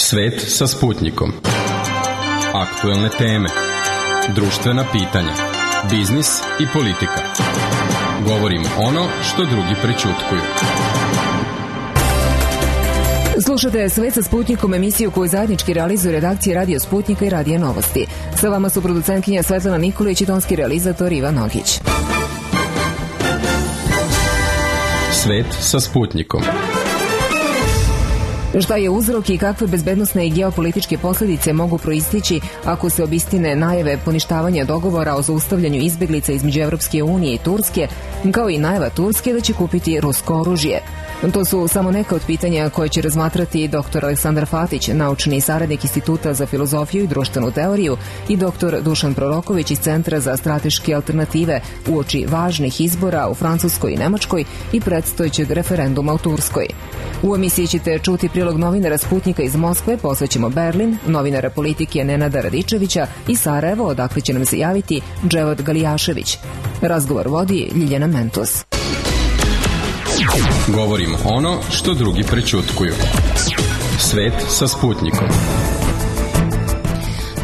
Svet sa Sputnikom. Aktuelne teme, društvena pitanja, biznis i politika. Govorimo ono što drugi prećutkuju. Slušate Svet sa Sputnikom, emisiju koju zajednički realizuju redakcije Radio Sputnika i Radio Novosti. Sa vama su producentkinja Svetlana Nikolić i tonski realizator Ivan Nogić. Svet sa Sputnikom. Šta je uzrok i kakve bezbednosne i geopolitičke posljedice mogu proistići ako se obistine najave poništavanja dogovora o zaustavljanju izbeglica između Evropske unije i Turske, kao i najava Turske da će kupiti rusko oružje? To su samo neka od pitanja koje će razmatrati dr. Aleksandar Fatić, naučni saradnik Instituta za filozofiju i društvenu teoriju, i dr. Dušan Proroković iz Centra za strateške alternative uoči važnih izbora u Francuskoj i Nemačkoj i predstojećeg referenduma u Turskoj. U emisiji ćete čuti prilog novinara Sputnika iz Moskve, posvećemo Berlin, novinara politike Nenada Radičevića i Sarajevo, odakle će nam se javiti Dževad Galijašević. Razgovor vodi Ljiljana Mentos. Govorimo ono što drugi prećutkuju. Svet sa Sputnikom.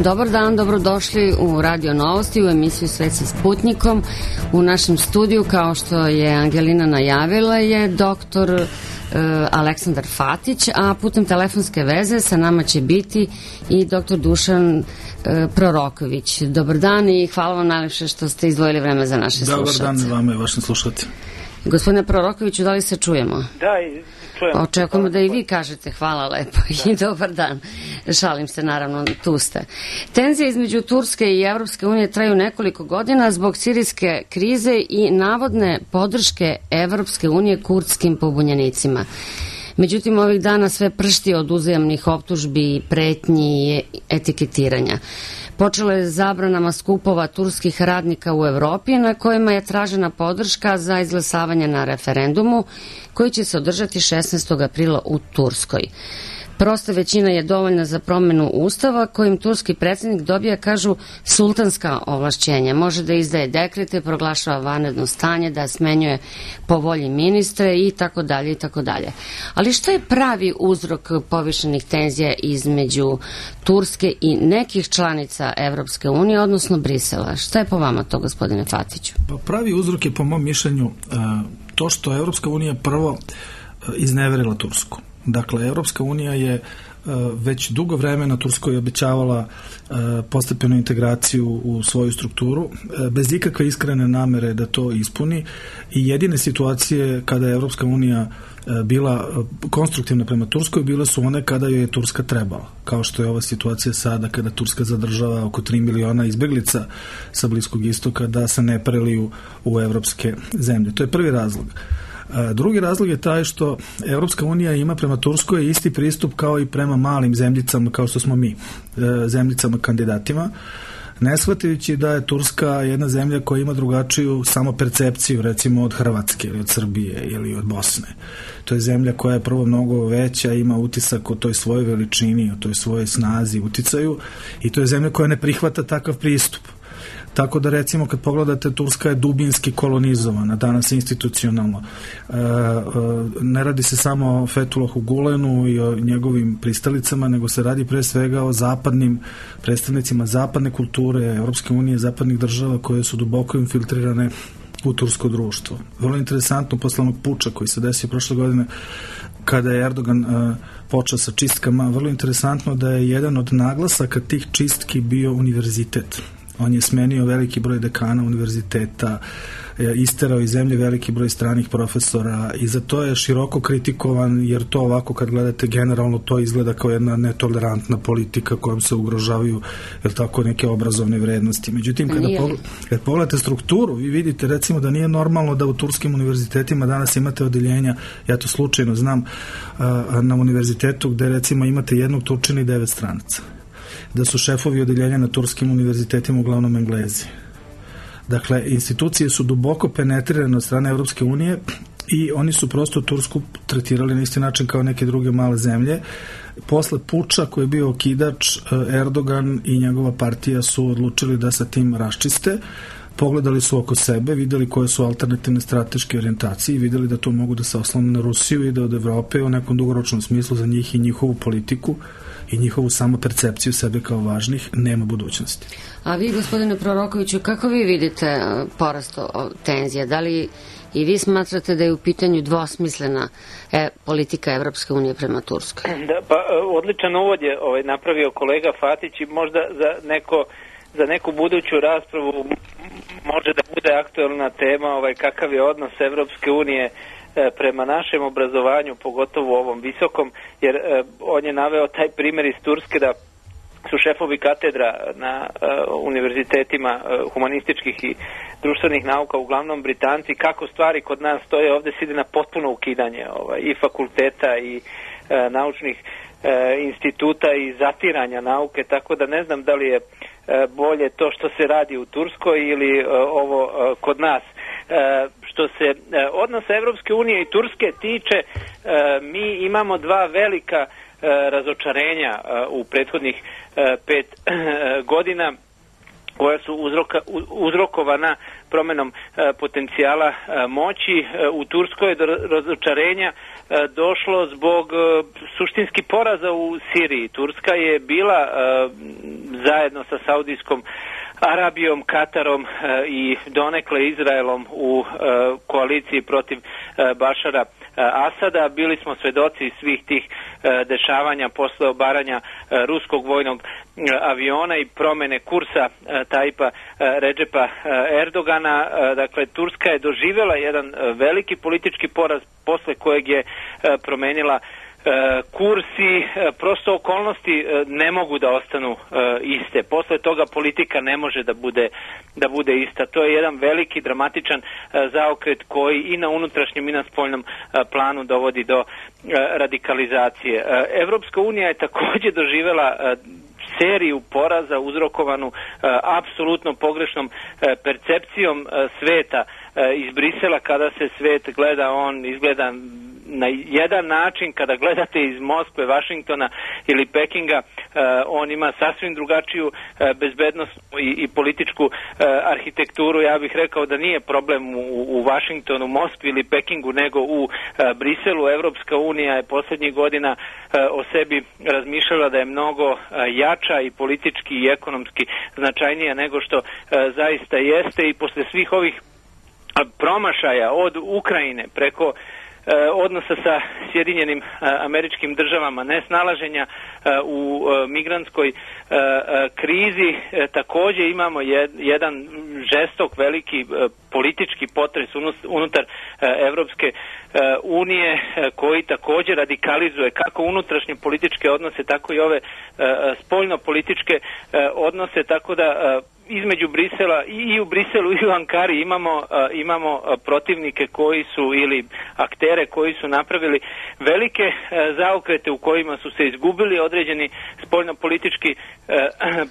Dobar dan, dobrodošli u Radio Novosti, u emisiju Svet sa Sputnikom. U našem studiju, kao što je Angelina najavila, je doktor Aleksandar Fatić, a putem telefonske veze sa nama će biti i dr. Dušan Proroković. Dobar dan i hvala vam najlepše što ste izdvojili vreme za naše slušalce. Dobar dan vama i vašim slušalcima. Gospodine Prorokoviću, da li se čujemo? Da, čujemo. Očekujemo da i vi kažete hvala lepo i dobar dan. Šalim se, naravno, tu ste. Tenzije između Turske i Evropske unije traju nekoliko godina zbog sirijske krize i navodne podrške Evropske unije kurdskim pobunjenicima. Međutim, ovih dana sve pršti od uzajamnih optužbi, pretnji i etiketiranja. Počelo je zabranama skupova turskih radnika u Evropi, na kojima je tražena podrška za izglasavanje na referendumu koji će se održati 16. aprila u Turskoj. Prosta većina je dovoljna za promjenu ustava kojim turski predsjednik dobija, kažu, sultanska ovlašćenja. Može da izdaje dekrete, proglašava vanredno stanje, da smenjuje po volji ministre i tako dalje i tako dalje. Ali šta je pravi uzrok povišenih tenzija između Turske i nekih članica Evropske unije, odnosno Brisela? Šta je po vama to, gospodine Fatiću? Pravi uzrok je, po mom mišljenju, to što Evropska unija prvo izneverila Tursku. Dakle, Evropska unija je već dugo vremena Turskoj obećavala postepenu integraciju u svoju strukturu, bez ikakve iskrene namere da to ispuni, i jedine situacije kada je Evropska unija bila konstruktivna prema Turskoj bile su one kada joj je Turska trebala, kao što je ova situacija sada kada Turska zadržava oko 3 miliona izbeglica sa Bliskog istoka da se ne preliju u evropske zemlje. To je prvi razlog. Drugi razlog je taj što Evropska unija ima prema Turskoj isti pristup kao i prema malim zemljicama kao što smo mi, zemljicama kandidatima, ne shvatajući da je Turska jedna zemlja koja ima drugačiju samopercepciju, recimo od Hrvatske ili od Srbije ili od Bosne. To je zemlja koja je prvo mnogo veća, ima utisak o toj svojoj veličini, o toj svojoj snazi, uticaju, i to je zemlja koja ne prihvata takav pristup. Tako da, recimo, kad pogledate, Turska je dubinski kolonizovana, danas institucionalno. Ne radi se samo o Fethulahu Gulenu i o njegovim pristalicama, nego se radi pre svega o zapadnim predstavnicima zapadne kulture, Evropske unije, zapadnih država koje su duboko infiltrirane u tursko društvo. Vrlo interesantno, posle onog puča koji se desio prošle godine, kada je Erdogan počeo sa čistkama, vrlo interesantno da je jedan od naglasaka tih čistki bio univerzitet. On je smenio veliki broj dekana univerziteta, isterao iz zemlje veliki broj stranih profesora, i za to je široko kritikovan, jer to ovako kad gledate generalno to izgleda kao jedna netolerantna politika kojom se ugrožavaju, jer tako, neke obrazovne vrednosti. Međutim, kad pogledate strukturu, vi vidite, recimo, da nije normalno da u turskim univerzitetima danas imate odeljenja, ja to slučajno znam, na univerzitetu gde, recimo, imate jednog Turčina i 9 stranaca, da su šefovi odeljenja na turskim univerzitetima uglavnom Englezi. Dakle, institucije su duboko penetrirane od strane Evropske unije i oni su prosto Tursku tretirali na isti način kao neke druge male zemlje. Posle puča koji je bio okidač, Erdogan i njegova partija su odlučili da sa tim raščiste. Pogledali su oko sebe, videli koje su alternativne strateške orijentacije i videli da to mogu da se oslone na Rusiju i da od Evrope u nekom dugoročnom smislu za njih i njihovu politiku i njihovu samopercepciju sebe kao važnih, nema budućnosti. A vi, gospodine Prorokoviću, kako vi vidite porast tenzija? Da li i vi smatrate da je u pitanju dvosmislena politika Evropske unije prema Turskoj? Da, pa odličan uvod je napravio kolega Fatić i možda za neku buduću raspravu može da bude aktuelna tema kakav je odnos Evropske unije prema našem obrazovanju, pogotovo ovom visokom, jer on je naveo taj primjer iz Turske da su šefovi katedra na univerzitetima humanističkih i društvenih nauka, uglavnom Britanci, kako stvari kod nas stoje, ovdje se ide na potpuno ukidanje i fakulteta i naučnih instituta i zatiranja nauke, tako da ne znam da li je bolje to što se radi u Turskoj ili ovo kod nas. Što se odnosa Evropske unije i Turske tiče, mi imamo dva velika razočarenja u prethodnih 5 godina koja su uzrokovana promenom potencijala moći. U Turskoj je do razočarenja došlo zbog suštinski poraza u Siriji. Turska je bila zajedno sa Saudijskom Arabijom, Katarom i donekle Izraelom u koaliciji protiv Bašara Asada. Bili smo svedoci svih tih dešavanja posle obaranja ruskog vojnog aviona i promene kursa Tajipa Redžepa Erdogana. Dakle, Turska je doživjela jedan veliki politički poraz posle kojeg je promenila kurs i prosto okolnosti ne mogu da ostanu iste. Posle toga politika ne može da bude ista. To je jedan veliki dramatičan zaokret koji i na unutrašnjem i na spoljnom planu dovodi do radikalizacije. Evropska unija je također doživjela seriju poraza uzrokovanu apsolutno pogrešnom percepcijom sveta iz Brisela. Kada se svet gleda, on izgleda na jedan način. Kada gledate iz Moskve, Vašingtona ili Pekinga, on ima sasvim drugačiju bezbednosnu i političku arhitekturu. Ja bih rekao da nije problem u Vašingtonu, Moskvi ili Pekingu, nego u Briselu. Evropska unija je posljednjih godina o sebi razmišljala da je mnogo jača i politički i ekonomski značajnija nego što zaista jeste, i posle svih ovih promašaja od Ukrajine preko odnosa sa Sjedinjenim Američkim Državama, nesnalaženja u migrantskoj krizi, također imamo jedan žestok, veliki politički potres unutar Evropske unije koji također radikalizuje kako unutrašnje političke odnose, tako i ove spoljno-političke odnose, tako da između Brisela i u Briselu i u Ankari imamo protivnike koji su, ili aktere koji su napravili velike zaokrete u kojima su se izgubili određeni spoljno-politički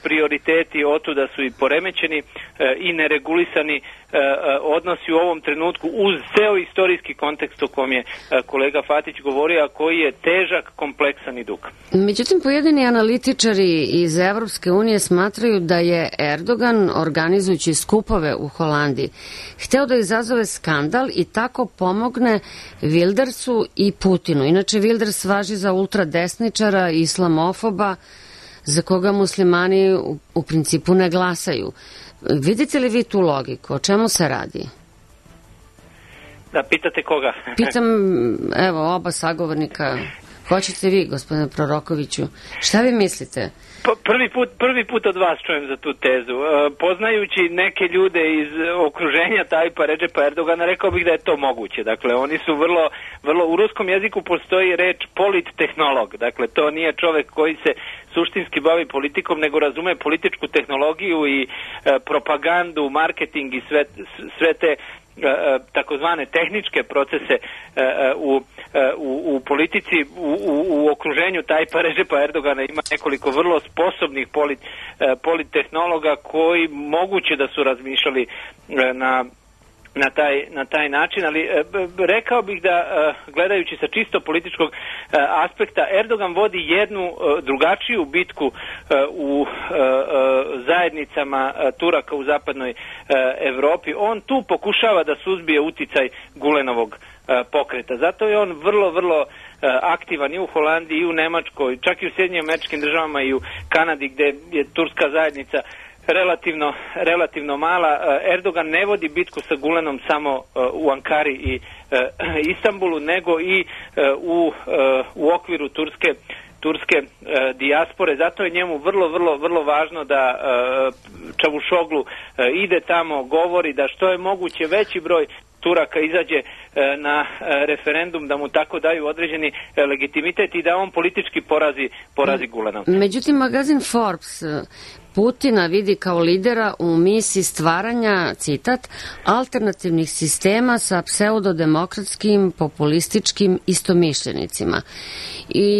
prioriteti, otuda su i poremećeni i neregulisani odnosi u ovom trenutku uz ceo istorijski kontekst o kom je kolega Fatić govorio, a koji je težak, kompleksan i dug. Međutim, pojedini analitičari iz Evropske unije smatraju da je Erdogan, organizujući skupove u Holandiji, hteo da izazove skandal i tako pomogne Wildersu i Putinu. Inače, Wilders važi za ultradesničara, islamofoba, za koga muslimani u principu ne glasaju. Vidite li vi tu logiku? O čemu se radi? Da, pitate koga? Pitam, evo, oba sagovornika. Hoćete vi, gospodine Prorokoviću? Šta vi mislite? Prvi put od vas čujem za tu tezu. Poznajući neke ljude iz okruženja Tajipa Redžepa Erdogana, rekao bih da je to moguće. Dakle, oni su vrlo, u ruskom jeziku postoji reč polittehnolog. Dakle, to nije čovek koji se suštinski bavi politikom, nego razume političku tehnologiju i propagandu, marketing i sve te takozvane tehničke procese u politici. U okruženju Tajipa Redžepa Erdogana ima nekoliko vrlo sposobnih polittehnologa koji moguće da su razmišljali na taj način, ali rekao bih da, gledajući sa čisto političkog aspekta, Erdogan vodi jednu drugačiju bitku u zajednicama Turaka u zapadnoj Evropi. On tu pokušava da suzbije uticaj Gulenovog pokreta. Zato je on vrlo aktivan i u Holandiji i u Nemačkoj, čak i u Sjedinjenim Američkim Državama i u Kanadi gde je turska zajednica relativno mala. Erdogan ne vodi bitku sa Gulenom samo u Ankari i Istanbulu, nego i u okviru turske dijaspore. Zato je njemu vrlo važno da Čavuşoglu ide tamo, govori da što je moguće veći broj Turaka izađe na referendum, da mu tako daju određeni legitimitet i da on politički porazi Gulena. Međutim, magazin Forbes Putina vidi kao lidera u misiji stvaranja, citat, alternativnih sistema sa pseudodemokratskim, populističkim istomišljenicima. I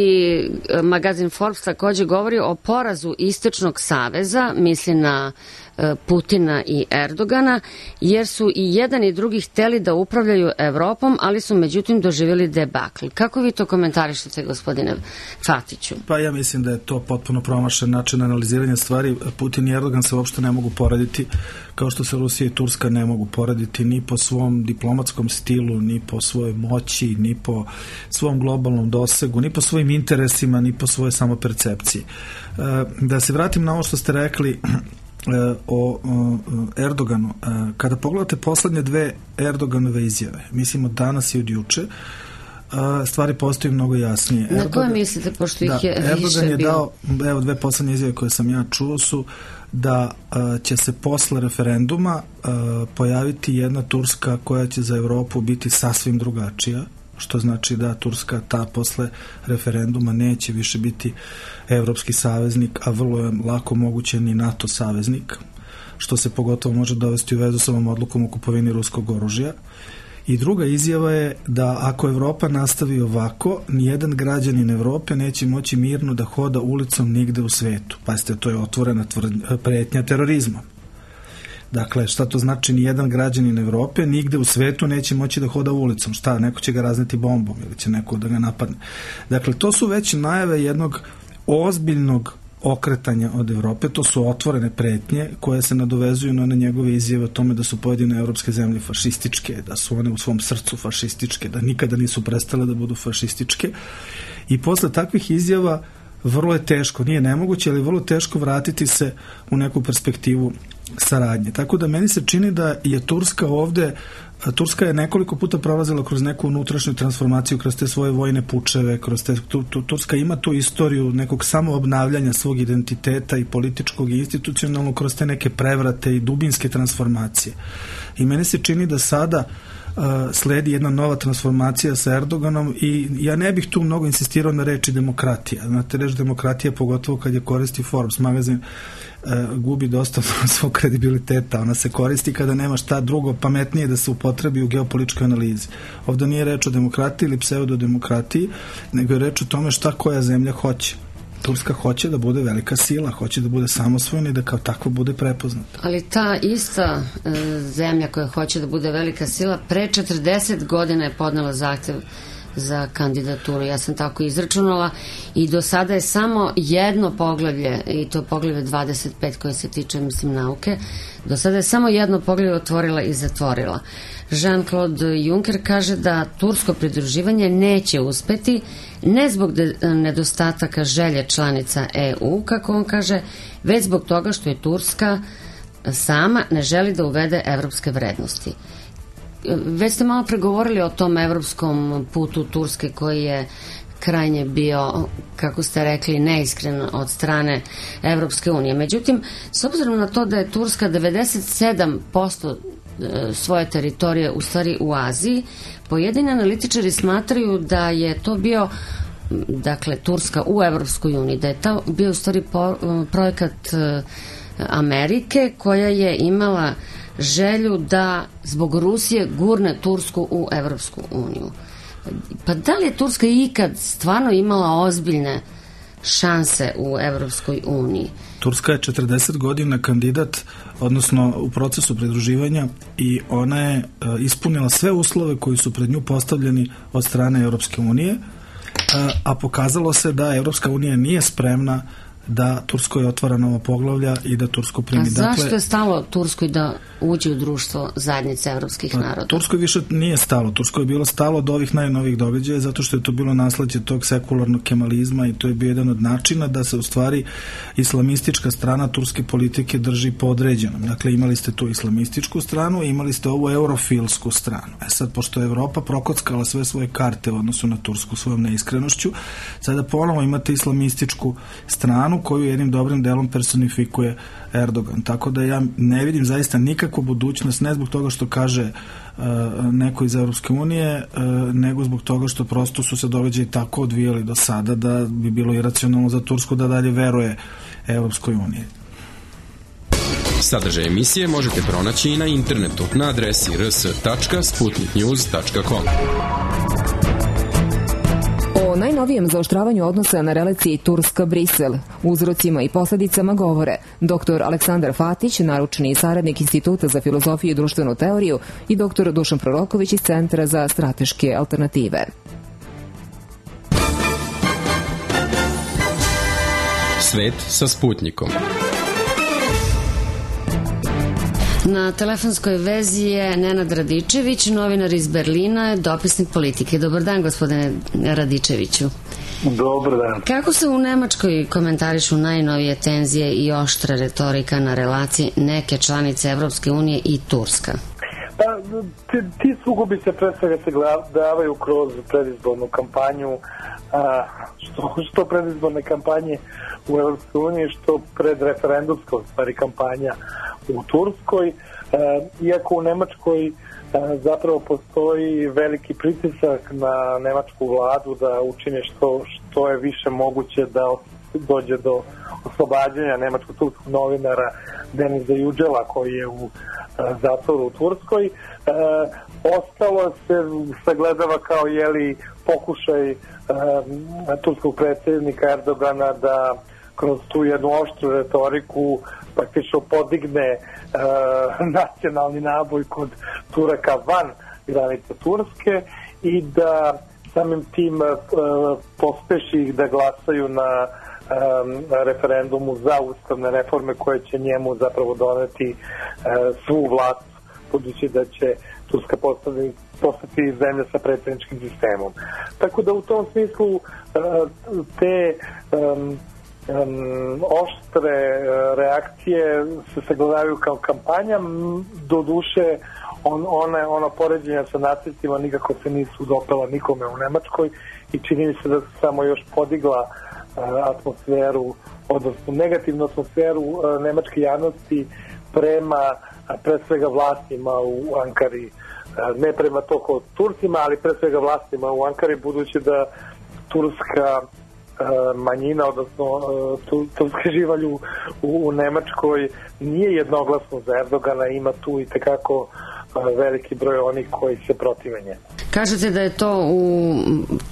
magazin Forbes takođe govori o porazu Istočnog saveza, misli na Putina i Erdogana, jer su i jedan i drugi hteli da upravljaju Evropom, ali su međutim doživjeli debakl. Kako vi to komentarišete, gospodine Fatiću? Pa ja mislim da je to potpuno promašen način analiziranja stvari. Putin i Erdogan se uopšte ne mogu porediti, kao što se Rusija i Turska ne mogu porediti ni po svom diplomatskom stilu, ni po svojoj moći, ni po svom globalnom dosegu, ni po svojim interesima, ni po svojoj samopercepciji. Da se vratim na ovo što ste rekli o Erdoganu. Kada pogledate poslednje dve Erdoganove izjave, mislim od danas i od juče, stvari postaju mnogo jasnije. Na koje mislite, pošto ih je Erdogan je bilo? dao, evo dve poslednje izjave koje sam ja čuo su da će se posle referenduma pojaviti jedna Turska koja će za Evropu biti sasvim drugačija, što znači da Turska ta posle referenduma neće više biti evropski saveznik, a vrlo je lako moguće ni NATO saveznik, što se pogotovo može dovesti u vezu sa ovom odlukom o kupovini ruskog oružja. I druga izjava je da ako Evropa nastavi ovako, nijedan građanin Evrope neće moći mirno da hoda ulicom nigde u svetu. Pazite, to je otvorena pretnja terorizmom. Dakle, šta to znači nijedan građanin Evrope nigde u svetu neće moći da hoda ulicom? Šta, neko će ga razneti bombom ili će neko da ga napadne? Dakle, to su već najave jednog ozbiljnog okretanja od Evrope, to su otvorene pretnje koje se nadovezuju na njegove izjave o tome da su pojedine evropske zemlje fašističke, da su one u svom srcu fašističke, da nikada nisu prestale da budu fašističke. I posle takvih izjava vrlo je teško, nije nemoguće, ali vrlo teško vratiti se u neku perspektivu saradnje. Tako da meni se čini da je Turska ovde, Turska je nekoliko puta prolazila kroz neku unutrašnju transformaciju, kroz te svoje vojne pučeve, kroz te, Turska ima tu istoriju nekog samoobnavljanja svog identiteta i političkog i institucionalnog kroz te neke prevrate i dubinske transformacije. I meni se čini da sada sledi jedna nova transformacija sa Erdoganom i ja ne bih tu mnogo insistirao na reči demokratija. Znate, reč demokratija, pogotovo kad je koristi Forbes magazin, gubi dosta svog kredibiliteta. Ona se koristi kada nema šta drugo pametnije da se upotrebi u geopolitičkoj analizi. Ovdje nije reč o demokratiji ili pseudodemokratiji, nego je reč o tome šta koja zemlja hoće. Turska hoće da bude velika sila, hoće da bude samosvojna i da kao takva bude prepoznata. Ali ta ista zemlja koja hoće da bude velika sila pre 40 godina je podnela zahtev za kandidaturu. Ja sam tako izračunala i do sada je samo jedno poglavlje, i to poglavlje 25 koje se tiče, mislim, nauke, do sada je samo jedno poglavlje otvorila i zatvorila. Jean-Claude Juncker kaže da tursko pridruživanje neće uspeti, ne zbog nedostataka želje članica EU, kako on kaže, već zbog toga što je Turska sama ne želi da uvede evropske vrednosti. Već ste malo pregovorili o tom evropskom putu Turske koji je krajnje bio, kako ste rekli, neiskren od strane Evropske unije. Međutim, s obzirom na to da je Turska 97% svoje teritorije u stvari u Aziji, pojedini analitičari smatraju da je to bio, dakle, Turska u Evropskoj uniji, da je to bio u stvari projekat Amerike koja je imala želju da zbog Rusije gurne Tursku u Evropsku uniju. Pa da li je Turska ikad stvarno imala ozbiljne šanse u Evropskoj uniji? Turska je 40 godina kandidat, odnosno u procesu pridruživanja, i ona je ispunila sve uslove koji su pred nju postavljeni od strane Evropske unije, a pokazalo se da Evropska unija nije spremna da Turskoj otvara nova poglavlja i da Tursku primi. A zašto je stalo Turskoj da uđe u društvo zajednice evropskih naroda? Turskoj više nije stalo. Turskoj je bilo stalo od ovih najnovijih događaja zato što je to bilo nasleđe tog sekularnog kemalizma i to je bio jedan od načina da se u stvari islamistička strana turske politike drži podređenom. Dakle, imali ste tu islamističku stranu i imali ste ovu eurofilsku stranu. Sad, pošto je Evropa prokockala sve svoje karte u odnosu na Tursku svojom neiskrenošću, sada ponovo imate islamističku stranu koju jednim dobrim delom personifikuje Erdogan. Tako da ja ne vidim zaista nikakvu budućnost, ne zbog toga što kaže neko iz Evropske unije, nego zbog toga što prosto su se događaji tako odvijali do sada da bi bilo iracionalno za Tursku da dalje veruje Evropskoj uniji. Sadržaj emisije možete pronaći i na internetu na adresi rs.sputniknews.com. O najnovijem zaoštravanju odnosa na relaciji Turska-Brisel, uzrocima i posledicama govore dr. Aleksandar Fatić, naručni saradnik Instituta za filozofiju i društvenu teoriju, i dr. Dušan Proroković iz Centra za strateške alternative. Svet sa Sputnikom. Na telefonskoj vezi je Nenad Radičević, novinar iz Berlina, dopisnik politike. Dobar dan, gospodine Radičeviću. Dobar dan. Kako se u Nemačkoj komentarišu najnovije tenzije i oštra retorika na relaciji neke članice Evropske unije i Turska? Pa, ti sukobi se pre svega se davaju kroz predizbornu kampanju, što predizborne kampanje u Evropskoj uniji, što predreferendumska stvari kampanja u Turskoj, iako u Nemačkoj zapravo postoji veliki pritisak na nemačku vladu da učine što je više moguće da dođe do oslobađanja nemačko-turskog novinara Deniza Yücela koji je u zatvoru u Turskoj. Ostalo se sagledava kao pokušaj turskog predsjednika Erdogana da kroz tu jednu oštru retoriku praktično podigne nacionalni naboj kod Turaka van granica Turske i da samim tim pospeši ih da glasaju na referendumu za ustavne reforme koje će njemu zapravo doneti svu vlast, budući da će Turska postati zemlja sa predsjedničkim sistemom. Tako da u tom smislu te oštre reakcije se sagledavaju kao kampanja. Do duše ona poređenja sa nacistima nikako se nisu dopela nikome u Nemačkoj i čini mi se da se samo još podigla atmosferu, odnosno negativnu atmosferu nemačke javnosti prema pre svega vlastima u Ankari, ne prema toliko Turcima, ali pre svega vlastima u Ankari, budući da turska manjina, odnosno turski živalj u Nemačkoj nije jednoglasno za Erdogana, ima tu i tekako veliki broj onih koji se protive njemu. Kažete da je to u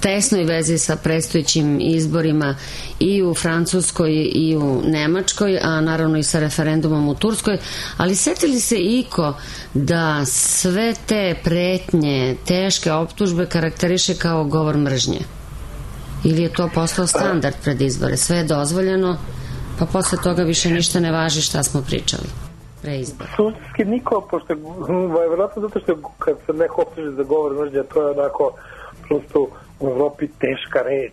tesnoj vezi sa predstojećim izborima i u Francuskoj i u Nemačkoj, a naravno i sa referendumom u Turskoj, ali setili se iko da sve te pretnje, teške optužbe karakteriše kao govor mržnje? Ili je to postao standard pred izbore? Sve je dozvoljeno, pa posle toga više ništa ne važi šta smo pričali pre izbora. Suštinski niko, pošto je vjerojatno zato što kad se neko optuži za govor mržnje, to je onako prosto u Evropi teška reč.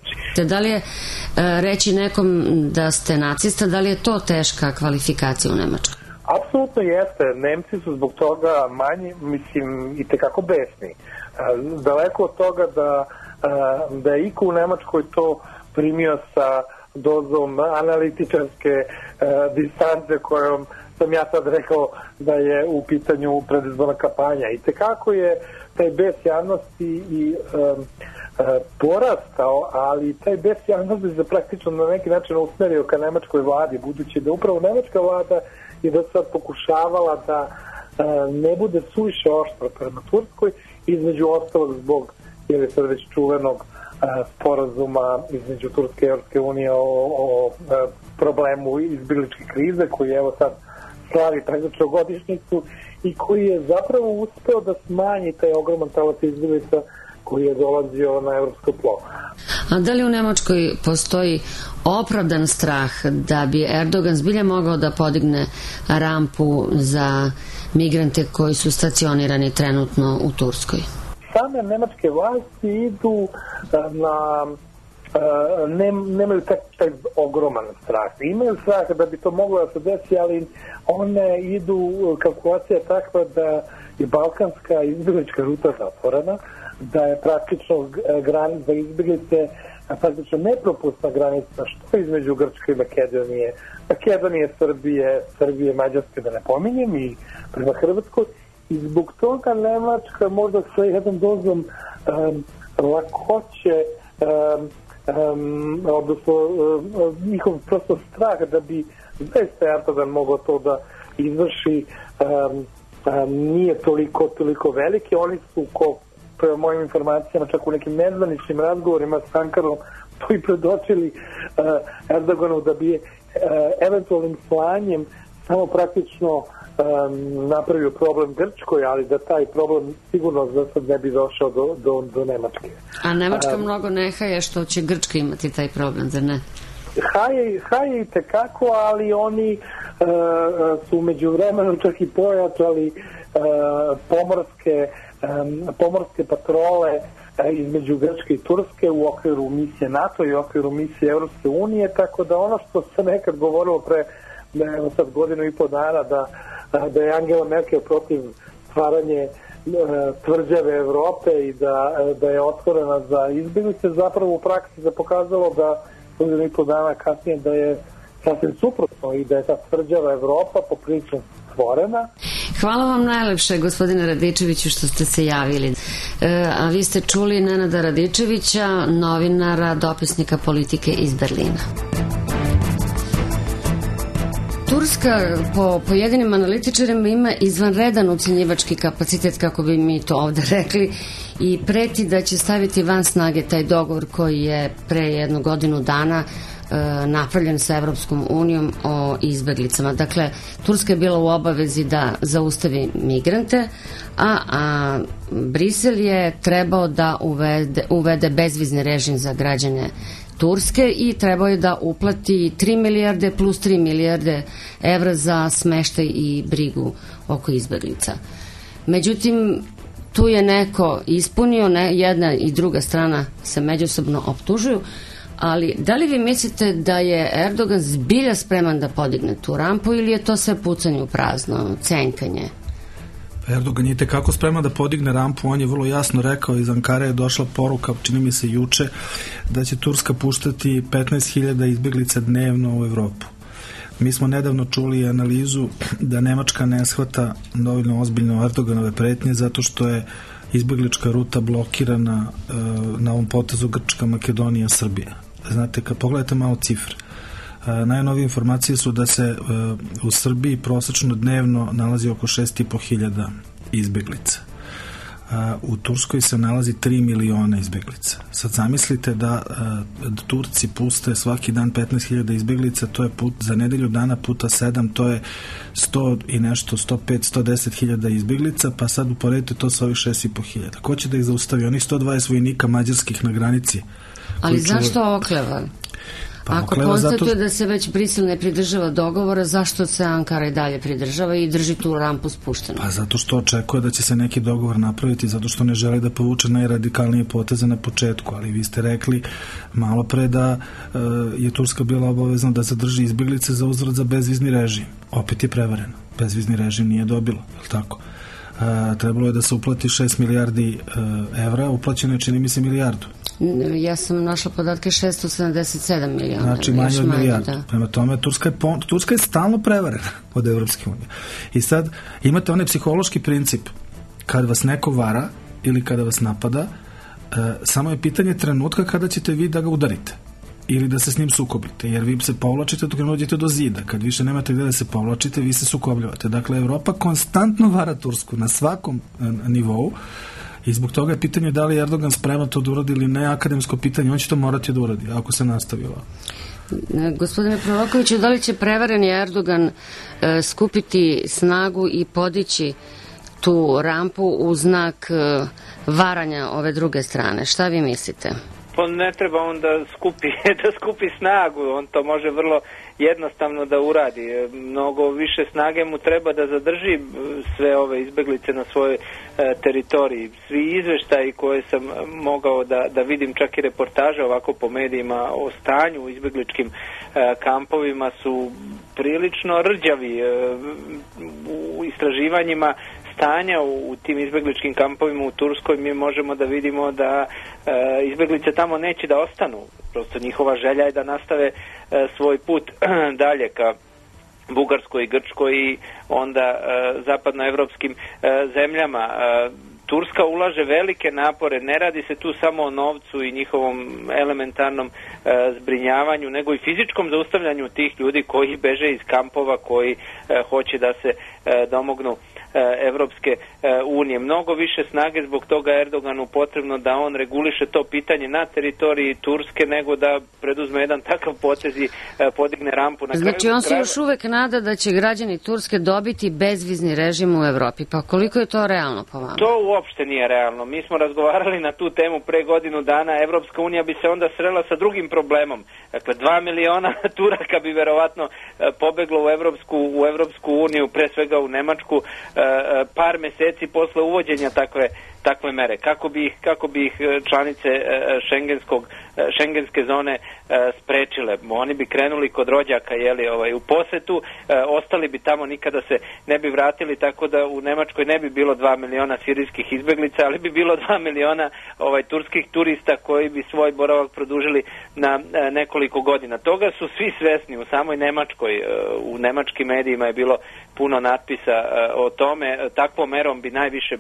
Da li je reći nekom da ste nacista, da li je to teška kvalifikacija u Nemačkoj? Apsolutno jeste. Nemci su zbog toga manji, i tekako besni. Daleko od toga da je iko u Nemačkoj to primio sa dozom analitičarske distance kojom sam ja sad rekao da je u pitanju predizborna kampanja. I tekako je taj bes javnosti i porastao, ali taj bes javnosti se praktično na neki način usmerio ka nemačkoj vladi, budući da upravo nemačka vlada je da sad pokušavala da ne bude suviše oštro prema Turskoj, između ostalog zbog sad već čuvenog sporazuma između Turske i Evropske unije o problemu izbjegličke krize, koji evo sad slavi praktično godišnjicu i koji je zapravo uspeo da smanji taj ogroman talac izbjeglica koji je dolazio na evropsko tlo. A da li u Nemačkoj postoji opravdan strah da bi Erdogan zbilja mogao da podigne rampu za migrante koji su stacionirani trenutno u Turskoj? Same nemačke vlasti idu nemaju taj ogroman strah. Imaju strah da bi to moglo da se desi, ali one idu, kalkulacija je takva da je balkanska izbjeglička ruta zatvorena, da je praktično granica izbjeglice praktično nepropustna granica, što između Grčke i Makedonije, Srbije, Mađarske, da ne pominjem, i prema Hrvatskoj. I zbog toga Nemačka možda sa jednom dozom lakoće, odnosno njihov prosto strah da bi zaista Erdogan mogao to da izvrši, nije toliko veliki. Oni su, prema mojim informacijama, čak u nekim nezvaničnim razgovorima s Ankarom to i predočili Erdoganu, da bi eventualnim slanjem samo praktično napravio problem Grčkoj, ali da taj problem sigurno za sad ne bi došao do Nemačke. A Nemačka mnogo ne haje što će Grčka imati taj problem, zar ne? Haje i tekako, ali oni su među vremenu čak i pojačali pomorske patrole između Grčke i Turske u okviru misije NATO i u okviru misije Europske unije, tako da ono što se nekad govorilo pre sad godinu i po dana da je Angela Merkel protiv stvaranje tvrđave Evrope i da je otvorena za izbjeglice, zapravo u praksi se pokazalo da godinu i po dana kasnije da je sasvim suprotno i da je ta tvrđava Evropa poprilično stvorena. Hvala vam najlepše, gospodine Radičeviću, što ste se javili. A vi ste čuli Nenada Radičevića, novinara, dopisnika politike iz Berlina. Turska po pojedinim analitičarima ima izvanredan ucenjivački kapacitet, kako bi mi to ovde rekli, i preti da će staviti van snage taj dogovor koji je pre 1 godinu dana napravljen sa Evropskom unijom o izbeglicama. Dakle, Turska je bila u obavezi da zaustavi migrante, a Brisel je trebao da uvede bezvizni režim za građane Turske i trebao je da uplati 3 milijarde plus 3 milijarde evra za smeštaj i brigu oko izbeglica. Međutim, tu je neko ispunio, jedna i druga strana se međusobno optužuju, ali da li vi mislite da je Erdogan zbilja spreman da podigne tu rampu ili je to sve pucanje u prazno, cenkanje? Erdogan je tekako spreman da podigne rampu, on je vrlo jasno rekao, iz Ankare je došla poruka, čini mi se juče, da će Turska puštati 15.000 izbjeglica dnevno u Evropu. Mi smo nedavno čuli analizu da Nemačka ne shvata dovoljno ozbiljno Erdoganove pretnje zato što je izbjeglička ruta blokirana na ovom potezu Grčka, Makedonija, Srbija. Znate, kad pogledate malo cifre, najnovije informacije su da se u Srbiji prosečno dnevno nalazi oko 6.500 izbjeglica. U Turskoj se nalazi 3 miliona izbjeglica. Sad zamislite da Turci puste svaki dan 15.000 izbjeglica, to je za nedelju dana puta 7, to je 100 i nešto, 105, 110.000 izbjeglica, pa sad uporedite to sa ovih 6.500. Ko će da ih zaustavi? Onih 120 vojnika mađarskih na granici. Ali zašto okleva? Ako konstatuje da se već Brisel ne pridržava dogovora, zašto se Ankara i dalje pridržava i drži tu rampu spuštenu? Pa zato što očekuje da će se neki dogovor napraviti, zato što ne želi da povuče najradikalnije poteze na početku, ali vi ste rekli malo pre da je Turska bila obavezna da zadrži izbjeglice za uzvrat za bezvizni režim. Opet je prevareno. Bezvizni režim nije dobilo, je li tako? Trebalo je da se uplati 6 milijardi evra, uplaćeno je, čini mi se, milijardu. Ja sam našla podatke 677 miliona. Znači manje od milijardu. Prema tome, Turska je stalno prevarena od Evropske unije. I sad imate onaj psihološki princip, kad vas neko vara ili kada vas napada, samo je pitanje trenutka kada ćete vi da ga udarite ili da se s njim sukobite, jer vi se povlačite dok ne dođete do zida. Kad više nemate gde da se povlačite, vi se sukobljavate. Dakle, Evropa konstantno vara Tursku na svakom nivou i zbog toga je pitanje da li je Erdogan spreman to da uradi ili ne, akademsko pitanje, on će to morati da uradi ako se nastavi ovako. Gospodine Prorokoviću, da li će prevareni Erdogan skupiti snagu i podići tu rampu u znak varanja ove druge strane? Šta vi mislite? On ne treba on da skupi snagu, on to može vrlo jednostavno da uradi. Mnogo više snage mu treba da zadrži sve ove izbeglice na svojoj teritoriji. Svi izveštaji koje sam mogao da vidim, čak i reportaže ovako po medijima o stanju u izbegličkim kampovima, su prilično rđavi. U istraživanjima stanja u tim izbegličkim kampovima u Turskoj mi možemo da vidimo da izbeglice tamo neće da ostanu. Prosto njihova želja je da nastave svoj put dalje ka Bugarskoj i Grčkoj i onda zapadnoevropskim zemljama. Turska ulaže velike napore, ne radi se tu samo o novcu i njihovom elementarnom zbrinjavanju, nego i fizičkom zaustavljanju tih ljudi koji beže iz kampova, koji hoće da se domognu Evropske unije. Mnogo više snage zbog toga Erdoganu potrebno da on reguliše to pitanje na teritoriji Turske, nego da preduzme jedan takav potez i podigne rampu na kraju. Znači on se još uvek nada da će građani Turske dobiti bezvizni režim u Evropi. Pa koliko je to realno po vama? To uopšte nije realno. Mi smo razgovarali na tu temu pre godinu dana. Evropska unija bi se onda srela sa drugim problemom. Dakle, 2 miliona Turaka bi verovatno pobeglo u Evropsku uniju, pre svega u Nemačku, par meseci posle uvođenja takve mere. Kako bi ih članice šengenske zone sprečile? Oni bi krenuli kod rođaka u posetu, ostali bi tamo, nikada se ne bi vratili, tako da u Nemačkoj ne bi bilo 2 miliona sirijskih izbeglica, ali bi bilo 2 miliona turskih turista koji bi svoj boravak produžili na nekoliko godina. Toga su svi svesni u samoj Nemačkoj. U nemačkim medijima je bilo puno natpisa o tome. Takvom merom bi najviše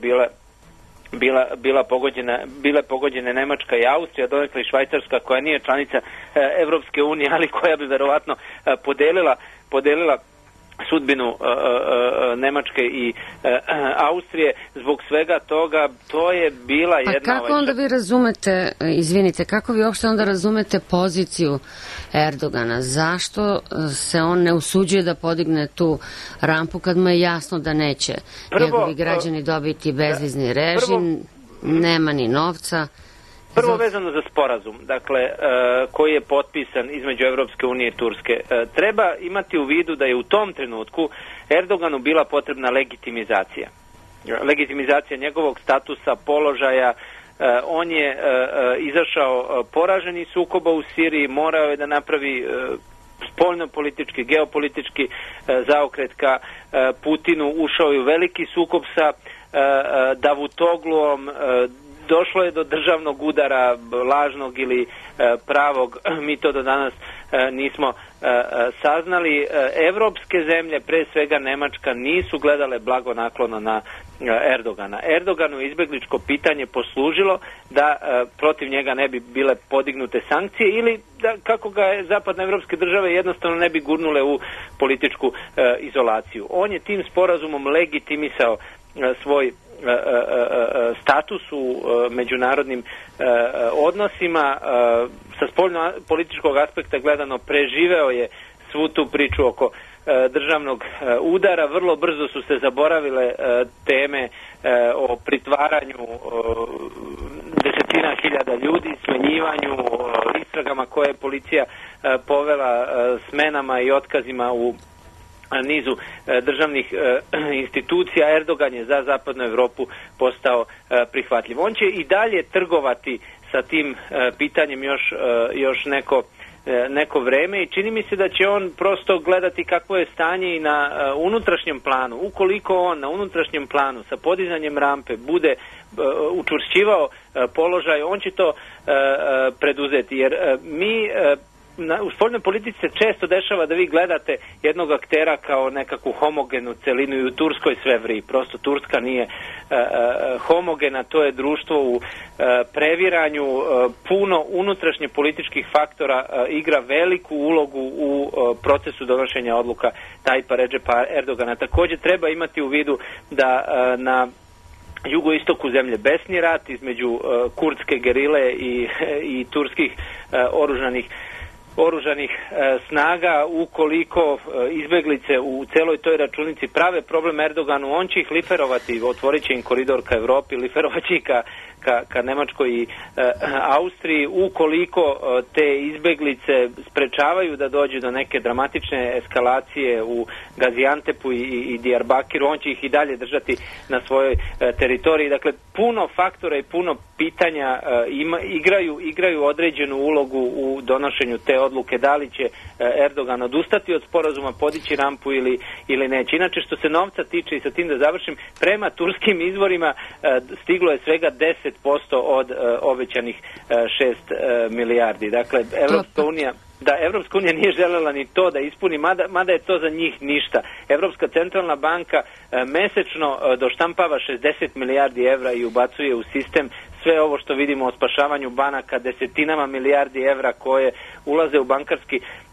bile pogođene Nemačka i Austrija, donekle i Švajcarska, koja nije članica Evropske unije, ali koja bi verovatno podelila sudbinu Nemačke i Austrije. Zbog svega toga to je bila jedna... A kako onda vi razumete, kako vi uopšte onda razumete poziciju Erdogana? Zašto se on ne usuđuje da podigne tu rampu kad mu je jasno da neće njegovi građani dobiti bezvizni režim, nema ni novca? Prvo vezano za sporazum, dakle, koji je potpisan između Evropske unije i Turske. Treba imati u vidu da je u tom trenutku Erdoganu bila potrebna legitimizacija. Legitimizacija njegovog statusa, položaja. On je izašao poražen iz sukoba u Siriji, morao je da napravi spoljno-politički, geopolitički zaokret ka Putinu, ušao je u veliki sukob sa Davutogluom, došlo je do državnog udara, lažnog ili pravog, mi to do danas nismo saznali. Evropske zemlje, pre svega Nemačka, nisu gledale blagonaklono na Erdogana. Erdoganu je izbegličko pitanje poslužilo da protiv njega ne bi bile podignute sankcije ili da, kako ga je zapadnoevropske države jednostavno ne bi gurnule u političku izolaciju. On je tim sporazumom legitimisao svoj status u međunarodnim odnosima. Sa spoljno-političkog aspekta gledano preživeo je svu tu priču oko državnog udara. Vrlo brzo su se zaboravile teme o pritvaranju desetina hiljada ljudi, smenjivanju, istragama koje je policija povela, smenama i otkazima u nizu državnih institucija. Erdogan je za zapadnu Evropu postao prihvatljiv. On će i dalje trgovati sa tim pitanjem još neko vreme i čini mi se da će on prosto gledati kakvo je stanje i na unutrašnjem planu. Ukoliko on na unutrašnjem planu sa podizanjem rampe bude učvršćivao položaj, on će to preduzeti, jer mi u spoljnoj politici se često dešava da vi gledate jednog aktera kao nekakvu homogenu celinu i u Turskoj sve vri. Prosto Turska nije homogena, to je društvo u previranju, puno unutrašnje političkih faktora igra veliku ulogu u procesu donošenja odluka Tajpa Redžepa Erdogana. Također treba imati u vidu da na jugoistoku zemlje besni rat između kurdske gerile i turskih oružanih snaga. Ukoliko izbeglice u celoj toj računici prave problem Erdoganu, on će ih liferovati, otvorit će im koridor ka Evropi, liferovat će ih ka Nemačkoj i Austriji, ukoliko te izbeglice sprečavaju da dođu do neke dramatične eskalacije u Gaziantepu i Diyarbakiru, on će ih i dalje držati na svojoj teritoriji. Dakle, puno faktora i puno pitanja igraju određenu ulogu u donošenju te odluke, da li će Erdogan odustati od sporazuma, podići rampu ili neće. Inače, što se novca tiče, i sa tim da završim, prema turskim izvorima stiglo je svega 10% od obećanih 6 milijardi. Dakle, Evropska unija nije želela ni to da ispuni, mada je to za njih ništa. Evropska centralna banka mesečno doštampava 60 milijardi evra i ubacuje u sistem sve ovo što vidimo o spašavanju banaka, desetinama milijardi evra koje ulaze u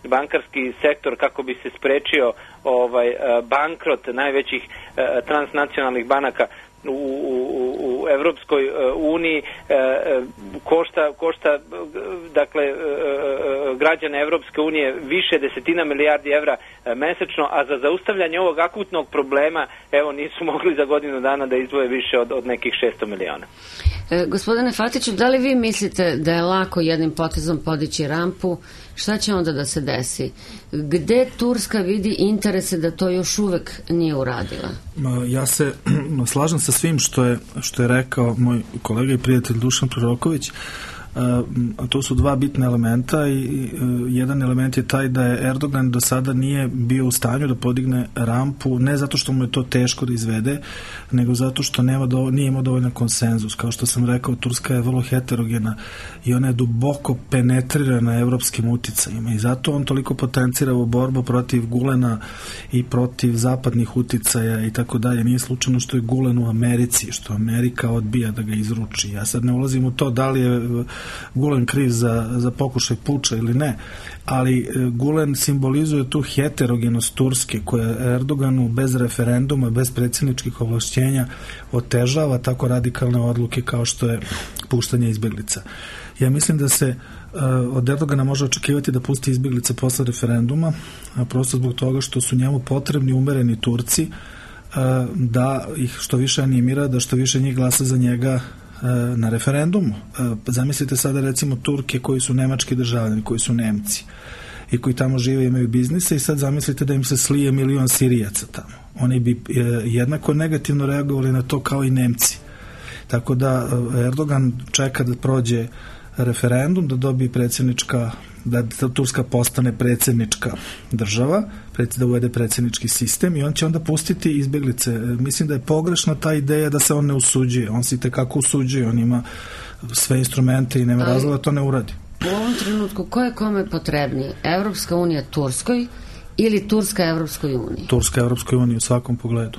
bankarski sektor kako bi se sprečio bankrot najvećih transnacionalnih banaka u Evropskoj uniji, košta dakle građane Evropske unije više desetina milijardi evra mesečno, a za zaustavljanje ovog akutnog problema nisu mogli za godinu dana da izdvoje više od nekih 600 miliona. Gospodine Fatiću, da li vi mislite da je lako jednim potezom podići rampu? Šta će onda da se desi? Gde Turska vidi interese da to još uvek nije uradila? Ja se slažem sa svim što je rekao moj kolega i prijatelj Dušan Proroković. A to su dva bitna elementa i jedan element je taj da je Erdogan do sada nije bio u stanju da podigne rampu, ne zato što mu je to teško da izvede, nego zato što nije imao dovoljno konsenzus. Kao što sam rekao, Turska je vrlo heterogena i ona je duboko penetrirana evropskim uticajima i zato on toliko potencira u borbu protiv Gulena i protiv zapadnih uticaja i tako dalje. Nije slučajno što je Gulen u Americi, što Amerika odbija da ga izruči. Ja sad ne ulazim u to da li je Gulen kriv za pokušaj puča ili ne, ali Gulen simbolizuje tu heterogenost Turske koja Erdoganu bez referenduma, bez predsjedničkih ovlašćenja otežava tako radikalne odluke kao što je puštanje izbjeglica. Ja mislim da se od Erdogana može očekivati da pusti izbjeglice posle referenduma, a prosto zbog toga što su njemu potrebni umereni Turci da ih što više animira, da što više njih glasa za njega na referendumu. Zamislite sada recimo Turke koji su nemački državljani, koji su Nemci i koji tamo žive i imaju biznise i sad zamislite da im se slije 1 milion Sirijaca tamo. Oni bi jednako negativno reagovali na to kao i Nemci. Tako da Erdogan čeka da prođe referendum, da dobije da Turska postane predsjednička država, da uvede predsjednički sistem i on će onda pustiti izbjeglice. Mislim da je pogrešna ta ideja da se on ne usuđuje. On se itekako usuđuje, on ima sve instrumente i nema razloga da to ne uradi. U ovom trenutku ko je kome potrebniji? Evropska unija Turskoj ili Turska Evropskoj uniji? Turska Evropskoj uniji u svakom pogledu.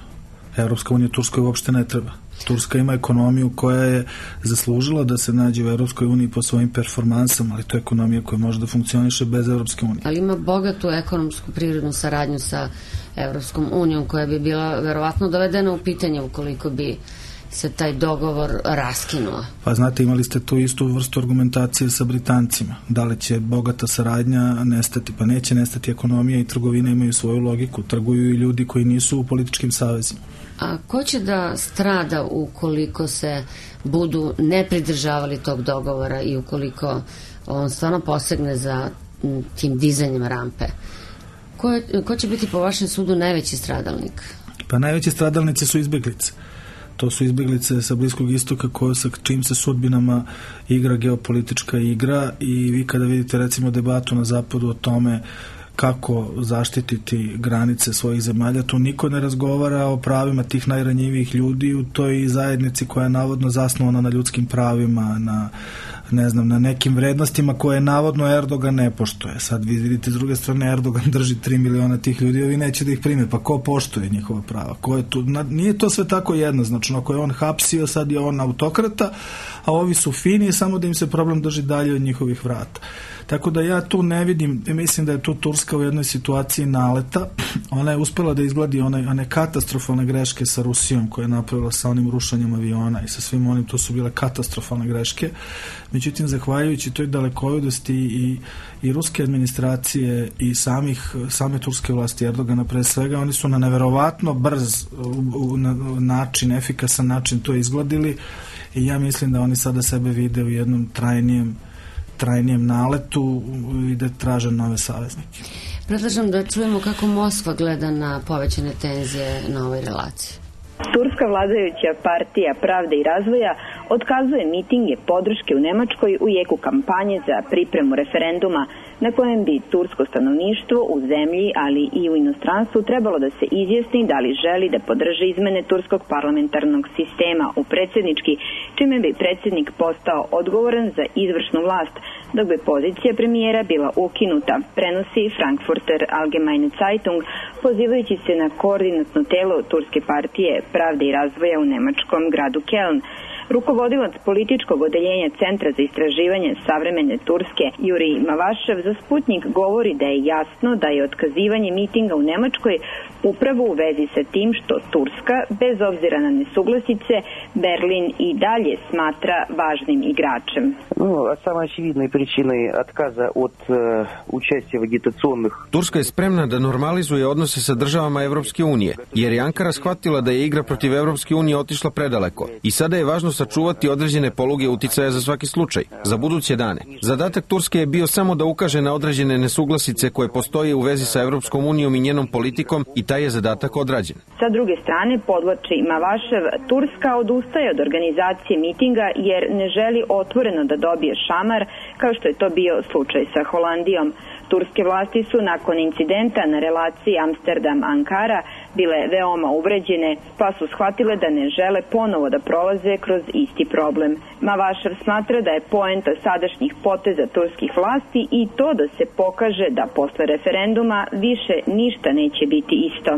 Evropska unija Turskoj uopšte ne treba. Turska ima ekonomiju koja je zaslužila da se nađe u Evropskoj uniji po svojim performansama, ali to je ekonomija koja može da funkcioniše bez Evropske unije. Ali ima bogatu ekonomsku privrednu saradnju sa Evropskom unijom koja bi bila verovatno dovedena u pitanje ukoliko bi se taj dogovor raskinuo. Pa znate, imali ste tu istu vrstu argumentacije sa Britancima. Da li će bogata saradnja nestati? Pa neće nestati, ekonomija i trgovina imaju svoju logiku. Trguju i ljudi koji nisu u političkim savezima. A ko će da strada ukoliko se budu ne pridržavali tog dogovora i ukoliko on stvarno posegne za tim dizanjem rampe? Ko će biti po vašem sudu najveći stradalnik? Pa najveći stradalnici su izbjeglice. To su izbjeglice sa Bliskog istoka sa čim se sudbinama igra geopolitička igra i vi kada vidite recimo debatu na zapadu o tome kako zaštititi granice svojih zemalja, tu niko ne razgovara o pravima tih najranjivijih ljudi u toj zajednici koja je navodno zasnovana na ljudskim pravima, na nekim vrednostima koje navodno Erdogan ne poštuje. Sad vi vidite s druge strane Erdogan drži 3 miliona tih ljudi, ovi neće da ih prime, pa ko poštuje njihova prava? Ko je tu? Nije to sve tako jednoznačno. Ako je on hapsio, sad je on autokrata, a ovi su fini, samo da im se problem drži dalje od njihovih vrata. Tako da ja tu ne vidim, mislim da je tu Turska u jednoj situaciji naleta. Ona je uspela da izgladi one katastrofalne greške sa Rusijom koje je napravila sa onim rušanjem aviona i sa svim onim, to su bile katastrofalne greške. Međutim, zahvaljujući toj dalekovidosti i ruske administracije i same turske vlasti Erdogana pre svega, oni su na neverovatno brz način, efikasan način to izgladili i ja mislim da oni sada sebe vide u jednom trajnijem naletu i da traže nove saveznike. Predlažem da čujemo kako Moskva gleda na povećane tenzije na ovoj relaciji. Turska vladajuća partija Pravde i razvoja otkazuje mitinge podrške u Nemačkoj u jeku kampanje za pripremu referenduma na kojem bi tursko stanovništvo u zemlji, ali i u inostranstvu trebalo da se izjasni da li želi da podrži izmene turskog parlamentarnog sistema u predsjednički, čime bi predsjednik postao odgovoran za izvršnu vlast, dok bi pozicija premijera bila ukinuta, prenosi Frankfurter Allgemeine Zeitung, pozivajući se na koordinatno telo turske partije Pravde i razvoja u nemačkom gradu Keln. Rukovodilac političkog odeljenja Centra za istraživanje savremene Turske, Juri Mavašev, za Sputnik govori da je jasno da je otkazivanje mitinga u Nemačkoj upravo u vezi sa tim što Turska, bez obzira na nesuglasice, Berlin i dalje smatra važnim igračem. Самой очевидной причиной отказа от участия в агитационных... Turska je spremna da normalizuje odnose sa državama Evropske unije, jer je Ankara shvatila da je igra protiv Evropske unije otišla predaleko i sada je važno sačuvati određene poluge uticaja za svaki slučaj, za buduće dane. Zadatak Turske je bio samo da ukaže na određene nesuglasice koje postoje u vezi sa Evropskom unijom i njenom politikom i taj je zadatak odrađen. Sa druge strane, podvlači Mavašev, Turska odustaje od organizacije mitinga jer ne želi otvoreno da dobije šamar, kao što je to bio slučaj sa Holandijom. Turske vlasti su nakon incidenta na relaciji Amsterdam-Ankara bile veoma uvređene, pa su shvatile da ne žele ponovo da prolaze kroz isti problem. Mavašev smatra da je poenta sadašnjih poteza turskih vlasti i to da se pokaže da posle referenduma više ništa neće biti isto.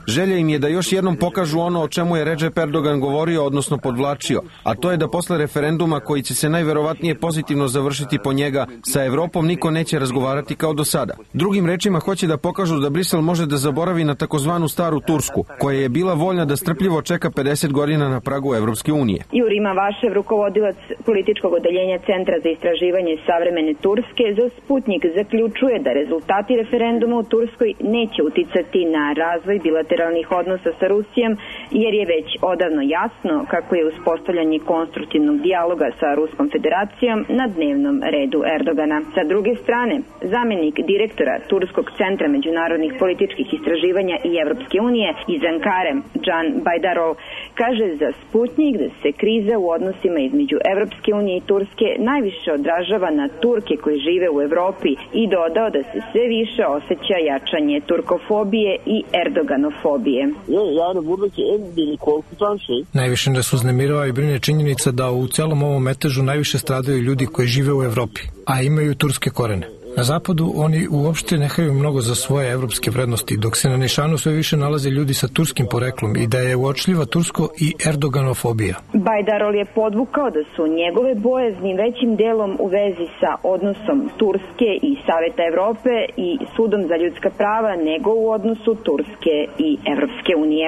Želja im je da još jednom pokažu ono o čemu je Recep Erdogan govorio, odnosno podvlačio, a to je da posle referenduma koji će se najverovatnije pozitivno završiti po njega, sa Evropom niko neće razgovarati kao do sada. Drugim rečima, hoće da pokažu da Brisel može da zaboravi na takozvanu staru Tursku, koja je bila voljna da strpljivo čeka 50 godina na pragu Evropske unije. Juri Mavašev, rukovodilac političkog odeljenja Centra za istraživanje savremene Turske, za Sputnik zaključuje da rezultati referenduma u Turskoj neće uticati na razvoj bilateralnih odnosa sa Rusijom, jer je već odavno jasno kako je uspostavljanje konstruktivnog dijaloga sa Ruskom federacijom na dnevnom redu Erdogana. Sa druge strane, zamenik direktora Turskog centra međunarodnih političkih istraživanja i Evropske unije iz Ankare, Can Bajdarov, kaže za Sputnik da se kriza u odnosima između Evropske unije i Turske najviše odražava na Turke koji žive u Evropi i dodao da se sve više osjeća jačanje turkofobije i erdoganofobije. Najviše nas uznemirava i brine činjenica da u celom ovom metežu najviše stradaju ljudi koji žive u Evropi, a imaju turske korene. Na zapadu oni uopšte ne haju mnogo za svoje evropske vrednosti, dok se na nišanu sve više nalaze ljudi sa turskim poreklom i da je uočljiva tursko i erdoganofobija. Bajdarol je podvukao da su njegove bojazni većim delom u vezi sa odnosom Turske i Saveta Evrope i Sudom za ljudska prava nego u odnosu Turske i Evropske unije.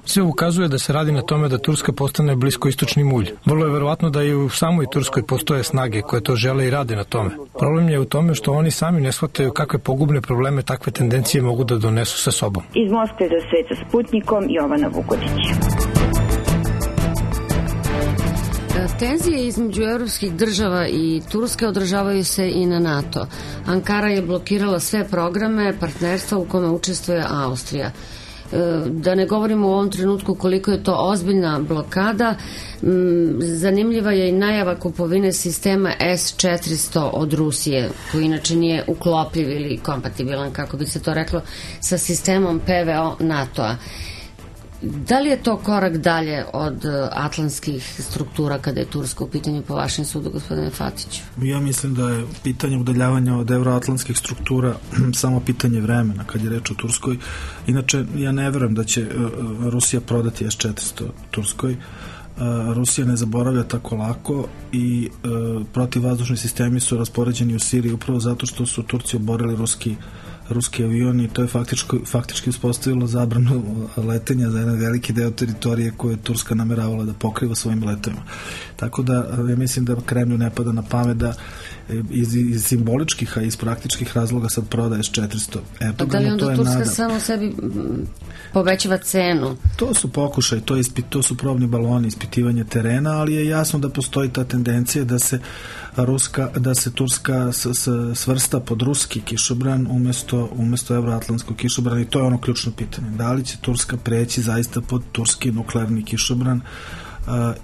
Sve ukazuje da se radi na tome da Turska postane bliskoistočni mulj. Vrlo je verovatno da i u samoj Turskoj postoje snage koje to žele i rade na tome. Problem je u tome što oni sami ne shvataju kakve pogubne probleme takve tendencije mogu da donesu sa sobom. Iz Moskve za svet sa Sputnikom, Jovana Vukotić. Tenzije između evropskih država i Turske odražavaju se i na NATO. Ankara je blokirala sve programe partnerstva u kome učestvuje Austrija. Da ne govorimo u ovom trenutku koliko je to ozbiljna blokada, zanimljiva je i najava kupovine sistema S-400 od Rusije, koji inače nije uklopljiv ili kompatibilan, kako bi se to reklo, sa sistemom PVO NATO-a. Da li je to korak dalje od atlantskih struktura kada je Turska u pitanju po vašem sudu, gospodine Fatiću? Ja mislim da je pitanje udaljavanja od evroatlantskih struktura samo pitanje vremena kad je reč o Turskoj. Inače, ja ne verujem da će Rusija prodati S-400 Turskoj. Rusija ne zaboravlja tako lako i protivvazdušni sistemi su raspoređeni u Siriji upravo zato što su Turci oborili ruski avion i to je faktički uspostavilo zabranu letenja za jedan veliki deo teritorije koje je Turska nameravala da pokriva svojim letovima. Tako da ja mislim da Kremlju ne pada na pamet da iz simboličkih, a iz praktičkih razloga sad prodaje s 400 Erdoganu. Da li onda Turska samo sebi povećava cenu? To su pokušaj, to su probni baloni, ispitivanje terena, ali je jasno da postoji ta tendencija da se Turska svrsta pod ruski kišobran umesto euroatlantskog kišobrana i to je ono ključno pitanje. Da li će Turska preći zaista pod turski nuklearni kišobran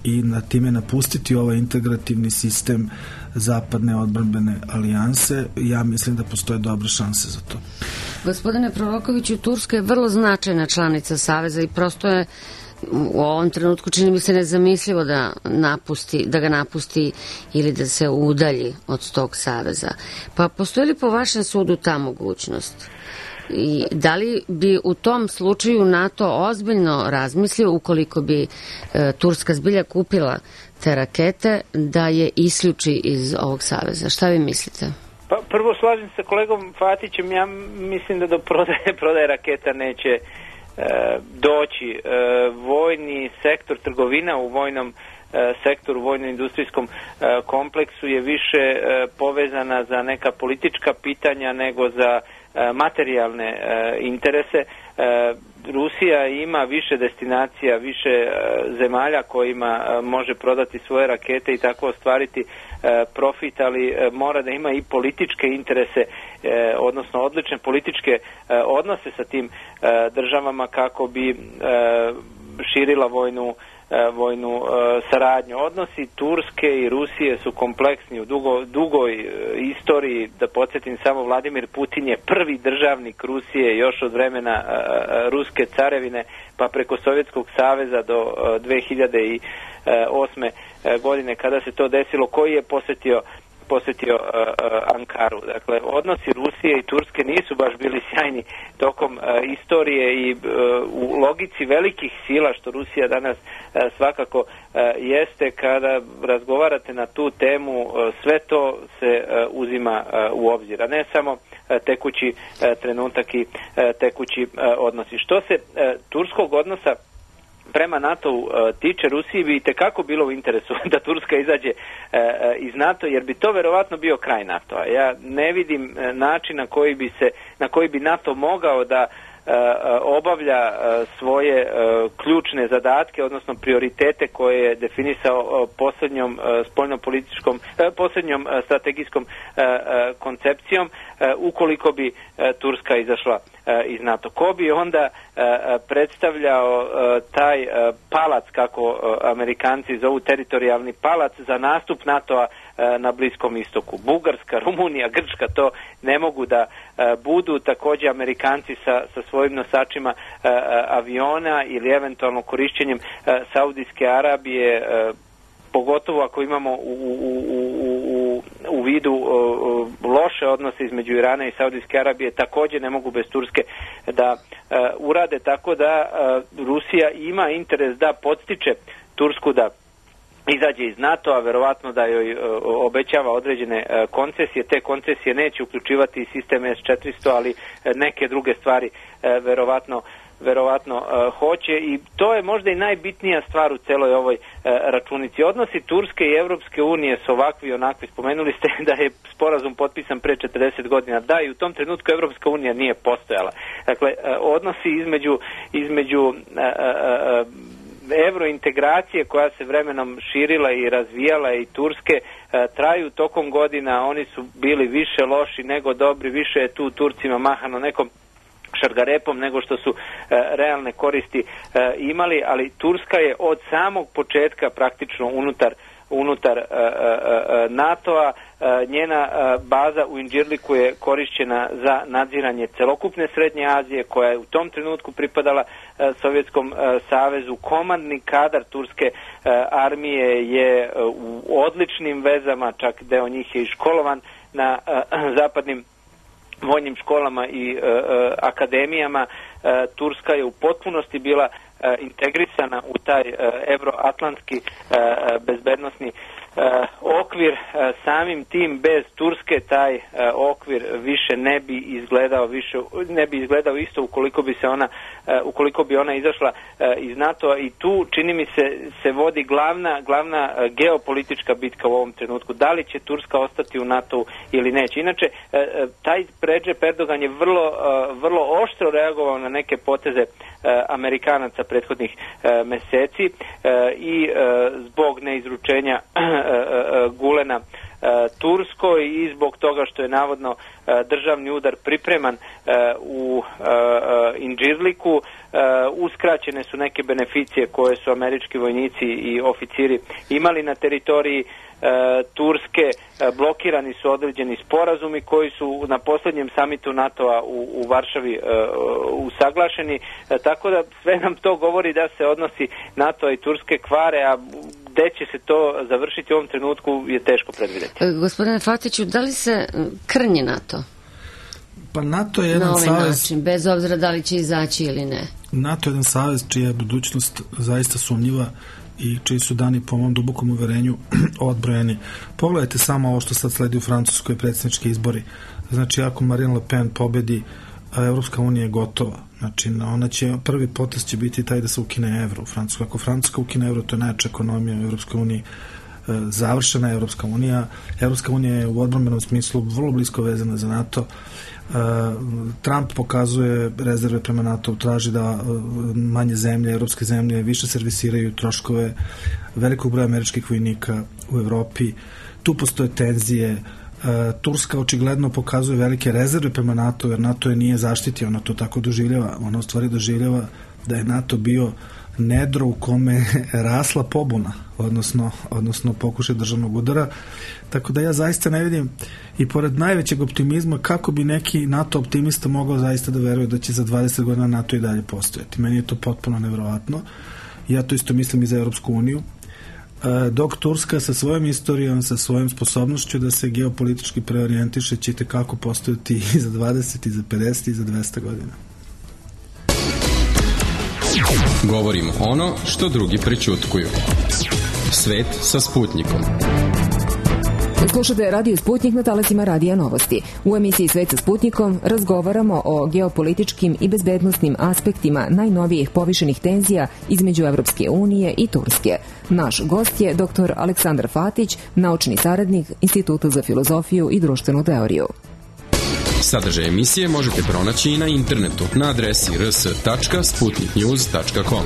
i na time napustiti ovaj integrativni sistem zapadne odbrambene alijanse? Ja mislim da postoje dobre šanse za to. Gospodine Prorokoviću, Turska je vrlo značajna članica Saveza i prosto je u ovom trenutku čini mi se nezamislivo da ga napusti ili da se udalji od tog saveza. Pa postoji li po vašem sudu ta mogućnost? I da li bi u tom slučaju NATO ozbiljno razmislio, ukoliko bi Turska zbilja kupila te rakete, da je isključi iz ovog saveza? Šta vi mislite? Pa prvo slažem se kolegom Fatićem, ja mislim da do prodaje raketa neće doći. Vojni sektor, trgovina u vojnom sektoru, vojno-industrijskom kompleksu je više povezana za neka politička pitanja nego za materijalne interese. Rusija ima više destinacija, više zemalja kojima može prodati svoje rakete i tako ostvariti profit, ali mora da ima i političke interese, odnosno odlične političke odnose sa tim državama kako bi širila vojnu saradnju. Odnosi Turske i Rusije su kompleksni u dugoj istoriji. Da podsjetim samo, Vladimir Putin je prvi državnik Rusije još od vremena ruske carevine pa preko Sovjetskog saveza do 2008. godine kada se to desilo, koji je posjetio Ankaru. Dakle, odnosi Rusije i Turske nisu baš bili sjajni tokom istorije i u logici velikih sila, što Rusija danas svakako jeste, kada razgovarate na tu temu, sve to se uzima u obzir, a ne samo tekući trenutak i tekući odnosi. Što se turskog odnosa prema NATO-u tiče, Rusiji bi itekako bilo u interesu da Turska izađe iz NATO, jer bi to verovatno bio kraj NATO-a. Ja ne vidim način na koji bi NATO mogao da obavlja svoje ključne zadatke, odnosno prioritete koje je definisao posljednjom strategijskom koncepcijom, ukoliko bi Turska izašla iz NATO. Ko bi onda predstavljao taj palac, kako Amerikanci zovu teritorijalni palac, za nastup NATO-a na Bliskom istoku? Bugarska, Rumunija, Grčka to ne mogu da budu. Također Amerikanci sa svojim nosačima aviona ili eventualno korišćenjem Saudijske Arabije, pogotovo ako imamo u vidu loše odnose između Irana i Saudijske Arabije, također ne mogu bez Turske da urade, tako da Rusija ima interes da podstiče Tursku da izađe iz NATO-a, verovatno da joj obećava određene koncesije. Te koncesije neće uključivati sistem S-400, ali neke druge stvari verovatno hoće, i to je možda i najbitnija stvar u celoj ovoj računici. Odnosi Turske i Evropske unije su ovakvi i onakvi. Spomenuli ste da je sporazum potpisan pre 40 godina. Da, i u tom trenutku Evropska unija nije postojala. Dakle, odnosi između evrointegracije koja se vremenom širila i razvijala i Turske traju tokom godina. Oni su bili više loši nego dobri, više je tu Turcima mahano nekom šargarepom nego što su realne koristi imali, ali Turska je od samog početka praktično unutar NATO-a. Njena baza u Inđirliku je korišćena za nadziranje celokupne Srednje Azije, koja je u tom trenutku pripadala Sovjetskom savezu. Komandni kadar turske armije je u odličnim vezama, čak deo njih je i školovan na zapadnim vojnim školama i akademijama. Turska je u potpunosti bila integrisana u taj evroatlantski bezbednosni okvir samim tim bez Turske taj okvir više ne bi izgledao isto ukoliko bi ona izašla iz NATO-a i tu čini mi se vodi glavna geopolitička bitka u ovom trenutku. Da li će Turska ostati u NATO-u ili neće? Inače, taj Recep Erdogan je vrlo oštro reagovao na neke poteze Amerikanaca prethodnih meseci i zbog neizručenja Gulena Turskoj i zbog toga što je navodno državni udar pripreman u Indžirliku, uskraćene su neke beneficije koje su američki vojnici i oficiri imali na teritoriji Turske, blokirani su određeni sporazumi koji su na posljednjem samitu NATO-a u Varšavi usaglašeni, tako da sve nam to govori da se odnosi NATO i Turske kvare, a gde će se to završiti u ovom trenutku je teško predvidjeti. Gospodine Fatiću, da li se krnji NATO? Pa NATO je jedan savez, način, bez obzira da li će izaći ili ne. NATO je jedan savez čija je budućnost zaista sumnjiva i čiji su dani po mom dubokom uverenju odbrojeni. Pogledajte samo ovo što sad sledi u Francuskoj, predsjednički izbori. Znači, ako Marine Le Pen pobedi, Evropska unija je gotova. Znači, prvi potez će biti taj da se ukine evro u Francuskoj. Ako Francuska ukine evro, to je najjača ekonomija u Evropskoj uniji. Završena je Evropska unija. Evropska unija je u odbrambenom smislu vrlo blisko vezana za NATO. Trump pokazuje rezerve prema NATO, traži da manje zemlje, evropske zemlje više servisiraju troškove velikog broja američkih vojnika u Evropi. Tu postoje tenzije. Turska očigledno pokazuje velike rezerve prema NATO, jer NATO je nije zaštitio, ona to tako doživljava. Ona u stvari doživljava da je NATO bio nedro u kome je rasla pobuna, odnosno pokušaj državnog udara. Tako da ja zaista ne vidim, i pored najvećeg optimizma, kako bi neki NATO optimista mogao zaista da veruje da će za 20 godina NATO i dalje postojati. Meni je to potpuno nevjerovatno. Ja to isto mislim i za Europsku uniju. Dok Turska sa svojom istorijom, sa svojom sposobnošću da se geopolitički preorijentiše, će kako postojati i za 20, i za 50, i za 200 godina. Govorimo ono što drugi prećutkuju. Svet sa Sputnikom. Slušate Radio Sputnik na talasima Radija Novosti. U emisiji Svet sa Sputnikom razgovaramo o geopolitičkim i bezbednosnim aspektima najnovijih povišenih tenzija između Evropske unije i Turske. Naš gost je dr. Aleksandar Fatić, naučni saradnik Instituta za filozofiju i društvenu teoriju. Sadržaj emisije možete pronaći i na internetu na adresi rs.sputniknews.com.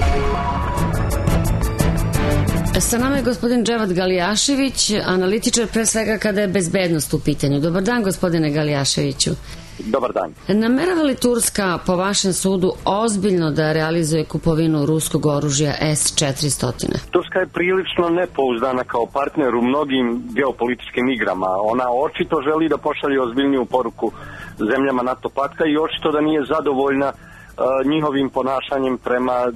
Sa nama je gospodin Dževad Galijašević, analitičar pre svega kada je bezbednost u pitanju. Dobar dan, gospodine Galijaševiću. Dobar dan. Namerava li Turska, po vašem sudu, ozbiljno da realizuje kupovinu ruskog oružja S-400? Turska je prilično nepouzdana kao partner u mnogim geopolitičkim igrama. Ona očito želi da pošalje ozbiljniju poruku zemljama NATO pakta i očito da nije zadovoljna njihovim ponašanjem prema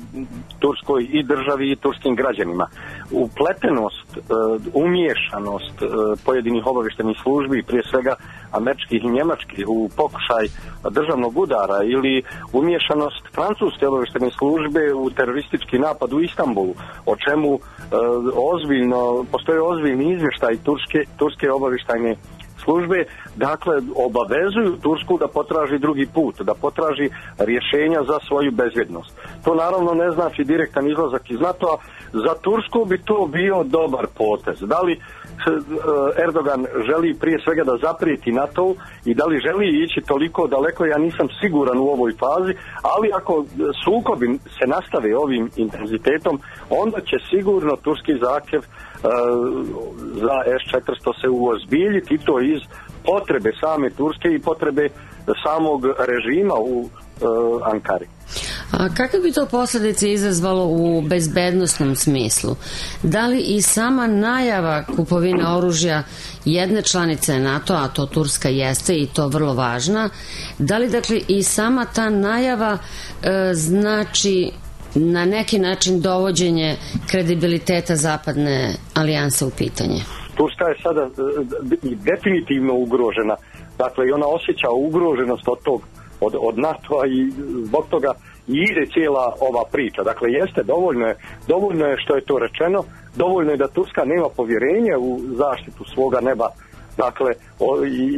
Turskoj i državi i turskim građanima. Upletenost, umiješanost pojedinih obavještajnih službi, prije svega američkih i njemačkih, u pokušaj državnog udara ili umiješanost francuske obavještajne službe u teroristički napad u Istanbulu, o čemu postoje ozbiljni izvještaj turske obavještajne službe, dakle, obavezuju Tursku da potraži drugi put, da potraži rješenja za svoju bezbjednost. To naravno ne znači direktan izlazak iz NATO-a. Za Tursku bi to bio dobar potez. Da li Erdogan želi prije svega da zaprijeti NATO i da li želi ići toliko daleko, ja nisam siguran u ovoj fazi, ali ako sukobi se nastave ovim intenzitetom, onda će sigurno turski zahtjev za S-400 se uozbiljiti, i to iz potrebe same Turske i potrebe samog režima u Ankari. A kakve bi to posljedice izazvalo u bezbednosnom smislu? Da li i sama najava kupovine oružja jedne članice NATO, a to Turska jeste i to vrlo važna, da li dakle i sama ta najava znači na neki način dovođenje kredibiliteta zapadne alijanse u pitanje? Turska je sada definitivno ugrožena. Dakle, i ona osjeća ugroženost od tog od NATO-a i zbog toga i ide cijela ova priča. Dakle, jeste, dovoljno je što je to rečeno, dovoljno je da Turska nema povjerenje u zaštitu svoga neba, dakle,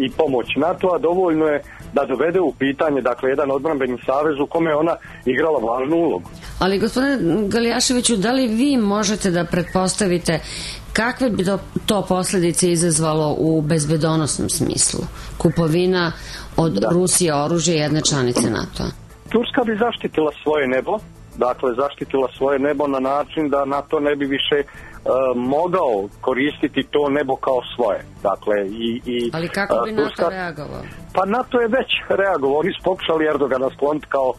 i pomoć NATO-a, dovoljno je da dovede u pitanje, dakle, jedan odbrambeni savez u kome je ona igrala važnu ulogu. Ali, gospodine Galijaševiću, da li vi možete da pretpostavite kakve bi to posljedice izazvalo u bezbedonosnom smislu? Kupovina od Rusije oružja jedne članice NATO-a. Turska bi zaštitila svoje nebo, dakle zaštitila svoje nebo na način da NATO ne bi više mogao koristiti to nebo kao svoje. Dakle, ali kako bi NATO reagovao? Pa NATO je već reagovao. Oni su pokušali Erdogana skloniti kao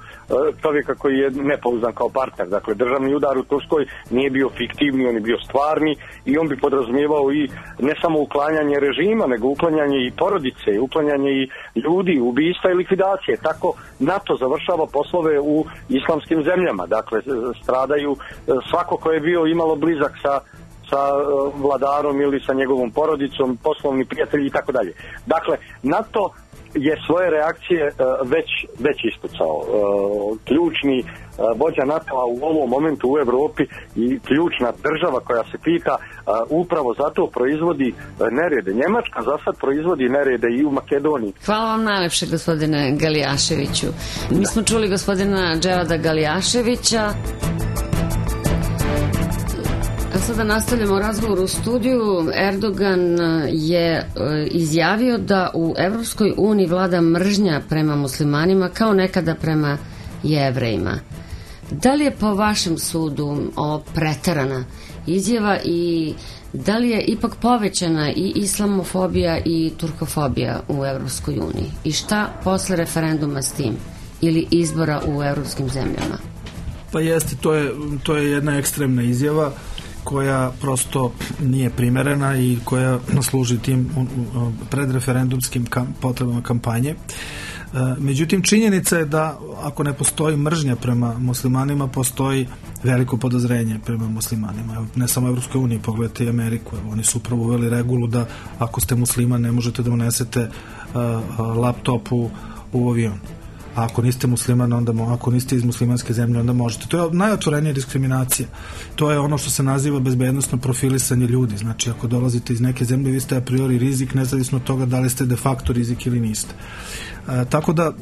čovjeka koji je nepouzdan kao partner. Dakle, državni udar u Turskoj nije bio fiktivni, on je bio stvarni i on bi podrazumijevao i ne samo uklanjanje režima, nego uklanjanje i porodice, uklanjanje i ljudi, ubistva i likvidacije. Tako NATO završava poslove u islamskim zemljama. Dakle, stradaju svako ko je bio imalo blizak sa vladarom ili sa njegovom porodicom, poslovni prijatelji i tako dalje. Dakle, NATO je svoje reakcije već ispucao. Ključni vođa NATO-a u ovom momentu u Europi i ključna država koja se pita upravo zato proizvodi nerede. Njemačka za sad proizvodi nerede i u Makedoniji. Hvala vam najlepše, gospodine Galijaševiću. Mi smo čuli gospodina Dževada Galijaševića. Sada nastavljamo razgovor u studiju. Erdogan je izjavio da u Evropskoj uniji vlada mržnja prema muslimanima kao nekada prema Jevrejima. Da li je po vašem sudu ovo preterana izjava i da li je ipak povećana i islamofobija i turkofobija u Evropskoj uniji? I šta posle referenduma s tim ili izbora u evropskim zemljama? Pa jeste, to je jedna ekstremna izjava koja prosto nije primerena i koja služi tim predreferendumskim potrebama kampanje. Međutim, činjenica je da ako ne postoji mržnja prema muslimanima, postoji veliko podozrenje prema muslimanima. Ne samo u Evropskoj uniji, pogledajte i Ameriku. Oni su upravo uveli regulu da ako ste musliman ne možete da unesete laptop u avion. A ako niste musliman, ako niste iz muslimanske zemlje, onda možete. To je najotvorenija diskriminacija. To je ono što se naziva bezbednosno profilisanje ljudi. Znači, ako dolazite iz neke zemlje, vi ste a priori rizik, nezavisno od toga da li ste de facto rizik ili niste. Tako da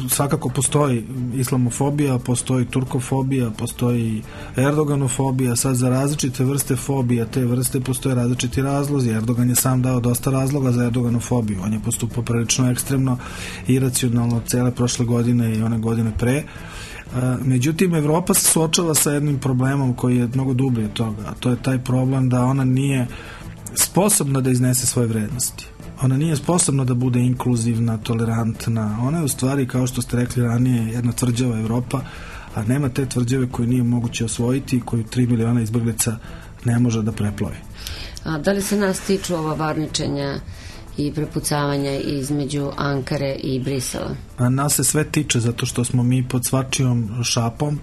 svakako postoji islamofobija, postoji turkofobija, postoji erdoganofobija. Sad za različite vrste fobija, te vrste postoje različiti razlozi. Erdogan je sam dao dosta razloga za erdoganofobiju. On je postupao prilično ekstremno, iracionalno cele prošle godine i one godine pre. Međutim, Evropa se suočava sa jednim problemom koji je mnogo dublji od toga, a to je taj problem da ona nije sposobna da iznese svoje vrednosti. Ona nije sposobna da bude inkluzivna, tolerantna. Ona je u stvari, kao što ste rekli ranije, jedna tvrđava Evropa, a nema te tvrđave koju nije moguće osvojiti i koju 3 miliona izbeglica ne može da preplovi. A da li se nas tiču ova varničenja i prepucavanja između Ankare i Brisela? A nas se sve tiče, zato što smo mi pod svačijom šapom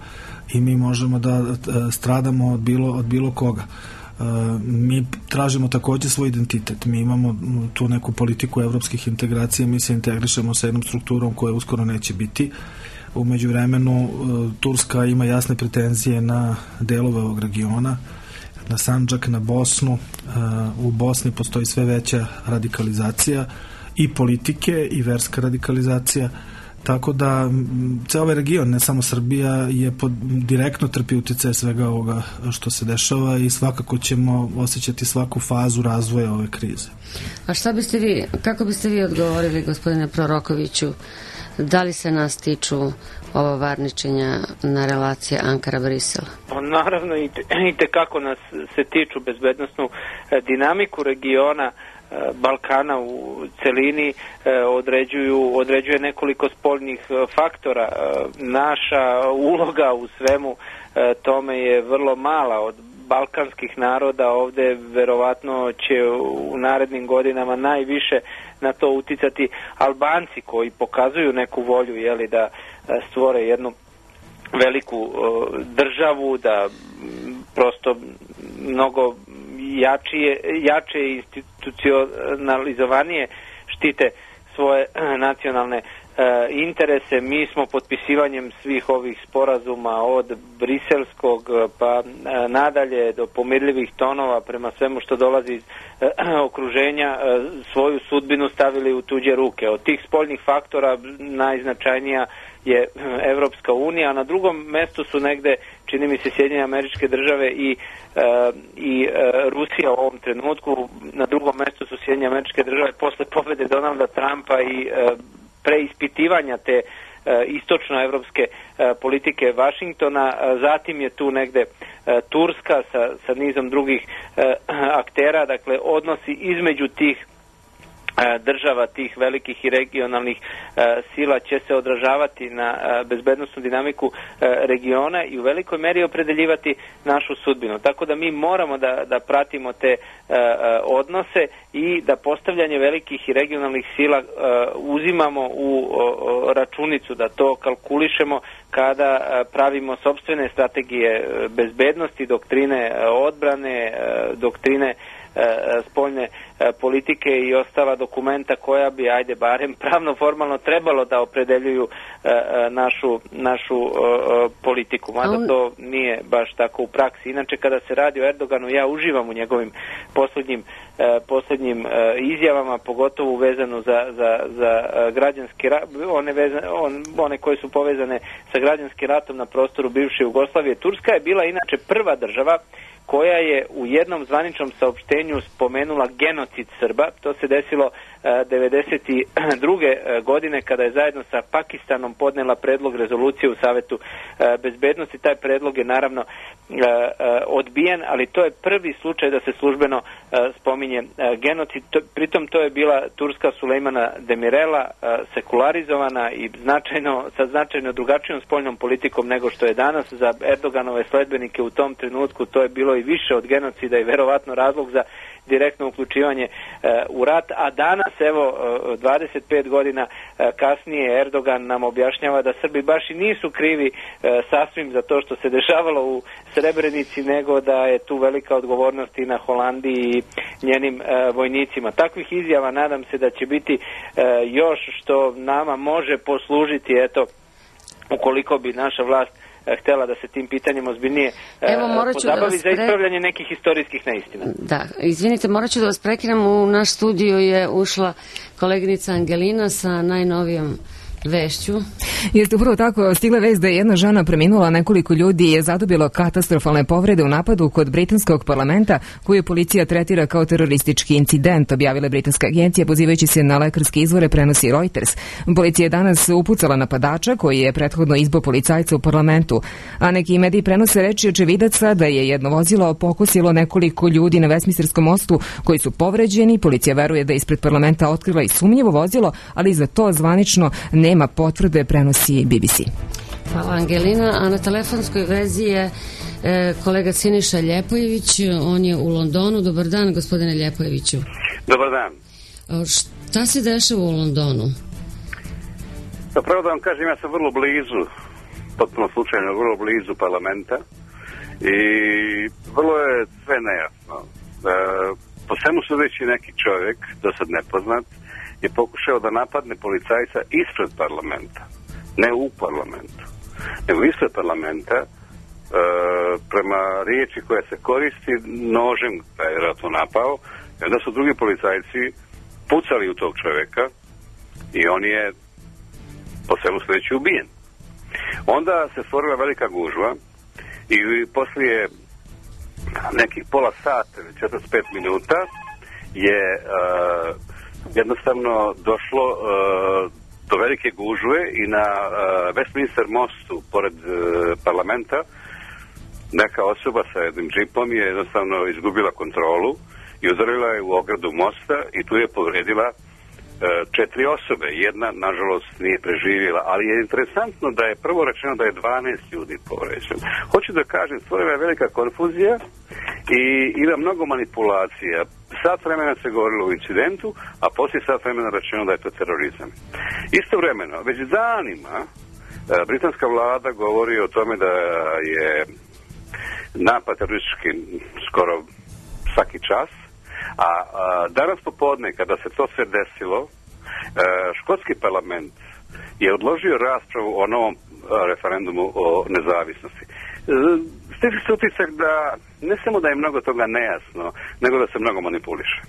i mi možemo da stradamo od bilo koga. Mi tražimo također svoj identitet. Mi imamo tu neku politiku evropskih integracija, mi se integrišemo sa jednom strukturom koja uskoro neće biti. U međuvremenu Turska ima jasne pretenzije na delove ovog regiona, na Sandžak, na Bosnu. U Bosni postoji sve veća radikalizacija i politike i verska radikalizacija. Tako da ceo ovaj region, ne samo Srbija, je direktno trpi utjecaj svega ovoga što se dešava i svakako ćemo osjećati svaku fazu razvoja ove krize. A kako biste vi odgovorili, gospodine Prorokoviću, da li se nas tiču ova varničenja na relacije Ankara-Brisel? Naravno i tekako nas se tiču. Bezbednosnu dinamiku regiona Balkana u celini određuje nekoliko spoljnih faktora. Naša uloga u svemu tome je vrlo mala. Od balkanskih naroda ovde verovatno će u narednim godinama najviše na to uticati Albanci, koji pokazuju neku volju da stvore jednu veliku državu, da prosto mnogo jače institucionalizovanije štite svoje nacionalne interese. Mi smo potpisivanjem svih ovih sporazuma od briselskog pa nadalje do pomirljivih tonova prema svemu što dolazi iz okruženja svoju sudbinu stavili u tuđe ruke. Od tih spoljnih faktora najznačajnija je Evropska unija, a na drugom mestu su negde, čini mi se, Sjedinjene Američke Države i Rusija u ovom trenutku. Na drugom mestu su Sjedinjene Američke Države posle pobede Donalda Trumpa i preispitivanja te istočnoevropske politike Vašingtona. Zatim je tu negde Turska sa nizom drugih aktera, dakle odnosi između tih država, tih velikih i regionalnih sila će se odražavati na bezbednosnu dinamiku regiona i u velikoj meri opredeljivati našu sudbinu. Tako da mi moramo da pratimo te odnose i da postavljanje velikih i regionalnih sila uzimamo u računicu, da to kalkulišemo kada pravimo sopstvene strategije bezbednosti, doktrine odbrane, doktrine spoljne politike i ostala dokumenta koja bi, ajde, barem pravno formalno trebalo da opredeljuju našu politiku. Mada to nije baš tako u praksi. Inače, kada se radi o Erdoganu, ja uživam u njegovim posljednjim izjavama, pogotovo vezano za građanski rat, one koje su povezane sa građanskim ratom na prostoru bivše Jugoslavije. Turska je bila inače prva država koja je u jednom zvaničnom saopštenju spomenula genocid Srba. To se desilo 1992. godine kada je zajedno sa Pakistanom podnela predlog rezolucije u Savetu bezbednosti. Taj predlog je naravno odbijen, ali to je prvi slučaj da se službeno spominje genocid. Pritom to je bila Turska Sulejmana Demirela, sekularizovana i sa značajno drugačijom spoljnom politikom nego što je danas. Za Erdoganove sledbenike u tom trenutku to je bilo i više od genocida i verovatno razlog za direktno uključivanje u rat, a danas, evo, 25 godina kasnije, Erdogan nam objašnjava da Srbi baš i nisu krivi sasvim za to što se dešavalo u Srebrenici, nego da je tu velika odgovornost i na Holandiji i njenim vojnicima. Takvih izjava nadam se da će biti još, što nama može poslužiti, eto, ukoliko bi naša vlast htjela da se tim pitanjem ozbiljnije pozabavi za ispravljanje nekih historijskih neistina. Da, izvinite, morat ću da vas prekinem. U naš studio je ušla koleginica Angelina sa najnovijom vešću. Jeste upravo tako, stigla vest da je jedna žena preminula, nekoliko ljudi je zadobilo katastrofalne povrede u napadu kod britanskog parlamenta koju policija tretira kao teroristički incident, objavila britanska agencija pozivajući se na lekarske izvore, prenosi Reuters. Policija je danas upucala napadača koji je prethodno izbio policajca u parlamentu, a neki mediji prenose reči očevidaca da je jedno vozilo pokosilo nekoliko ljudi na Westminsterskom mostu koji su povređeni. Policija veruje da je ispred parlamenta otkrila i sumnjivo vozilo, ali za to zvanično nema potvrde, prenosi BBC. Hvala, Angelina. A na telefonskoj vezi je kolega Siniša Ljepojević, on je u Londonu. Dobar dan, gospodine Ljepojeviću. Dobar dan. Šta se dešava u Londonu? Pravo da vam kažem, ja sam vrlo blizu, potpuno slučajno, vrlo blizu parlamenta i vrlo je sve nejasno. Po svemu sudeći neki čovjek, do sad nepoznat, je pokušao da napadne policajca ispred parlamenta, ne u parlamentu, nego ispred parlamenta, prema riječi koja se koristi, nožem da je vjerojatno napao, i onda su drugi policajci pucali u tog čovjeka i on je po svemu sudeći ubijen. Onda se stvorila velika gužva i poslije nekih pola sata ili 45 minuta je jednostavno došlo do velike gužve i na Westminster mostu pored parlamenta neka osoba sa jednim džipom je jednostavno izgubila kontrolu i udarila je u ogradu mosta i tu je povredila 4 osobe. Jedna, nažalost, nije preživjela, ali je interesantno da je prvo rečeno da je 12 ljudi povređeno. Hoću da kažem, stvorila je velika konfuzija i ima mnogo manipulacija. Sat vremena se govorilo o incidentu, a poslije sat vremena rečeno da je to terorizam. Istovremeno, već danima britanska vlada govori o tome da je napad teroristički skoro svaki čas, a danas popodne kada se to sve desilo, škotski parlament je odložio raspravu o novom referendumu o nezavisnosti. Stiče se utisak da ne samo da je mnogo toga nejasno, nego da se mnogo manipuliše.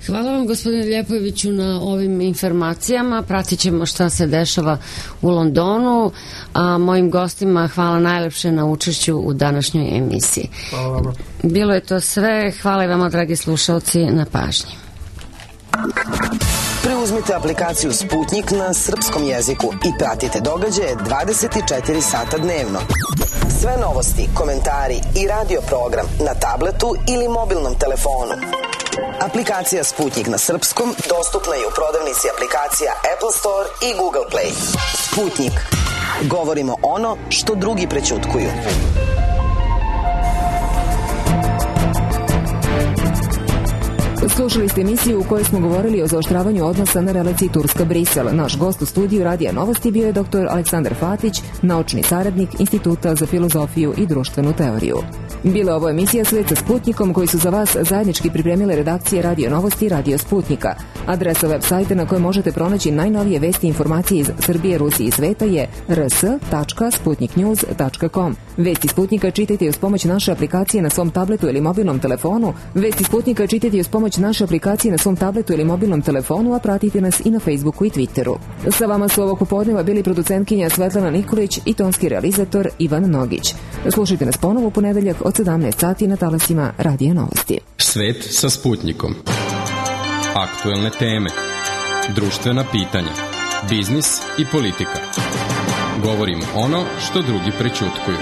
Hvala vam, gospodine Ljepojeviću, na ovim informacijama. Pratit ćemo šta se dešava u Londonu, a mojim gostima hvala najlepše na učešću u današnjoj emisiji. Hvala. Bilo je to sve. Hvala i vama, dragi slušalci, na pažnji. Preuzmite aplikaciju Sputnik na srpskom jeziku i pratite događaje 24 sata dnevno. Sve novosti, komentari i radio program na tabletu ili mobilnom telefonu. Aplikacija Sputnik na srpskom dostupna je u prodavnici aplikacija Apple Store i Google Play. Sputnik. Govorimo ono što drugi prećutkuju. Slušali ste emisiju u kojoj smo govorili o zaoštravanju odnosa na relaciji Turska-Brisel. Naš gost u studiju Radija Novosti bio je dr. Aleksandar Fatić, naučni saradnik Instituta za filozofiju i društvenu teoriju. Bila je ovo emisija Svet sa Sputnikom, koji su za vas zajednički pripremile redakcije Radio Novosti i Radio Sputnika. Adresa web sajta na kojoj možete pronaći najnovije vesti i informacije iz Srbije, Rusije i sveta je rs.sputniknews.com. Vesti Sputnika čitajte i uz pomoć naše aplikacije na svom tabletu ili mobilnom telefonu. Vesti Sputnika čitajte i uz pomoć naše aplikacije na svom tabletu ili mobilnom telefonu, a pratite nas i na Facebooku i Twitteru. Sa vama su ovog popodneva bili producentkinja Svetlana Nikolić i tonski realizator Ivan Nogić. Slušajte nas ponovo u ponedeljak od 17 sati na talasima Radija Novosti. Svet sa Sputnikom. Aktuelne teme, društvena pitanja, biznis i politika. Govorimo ono što drugi prećutkuju.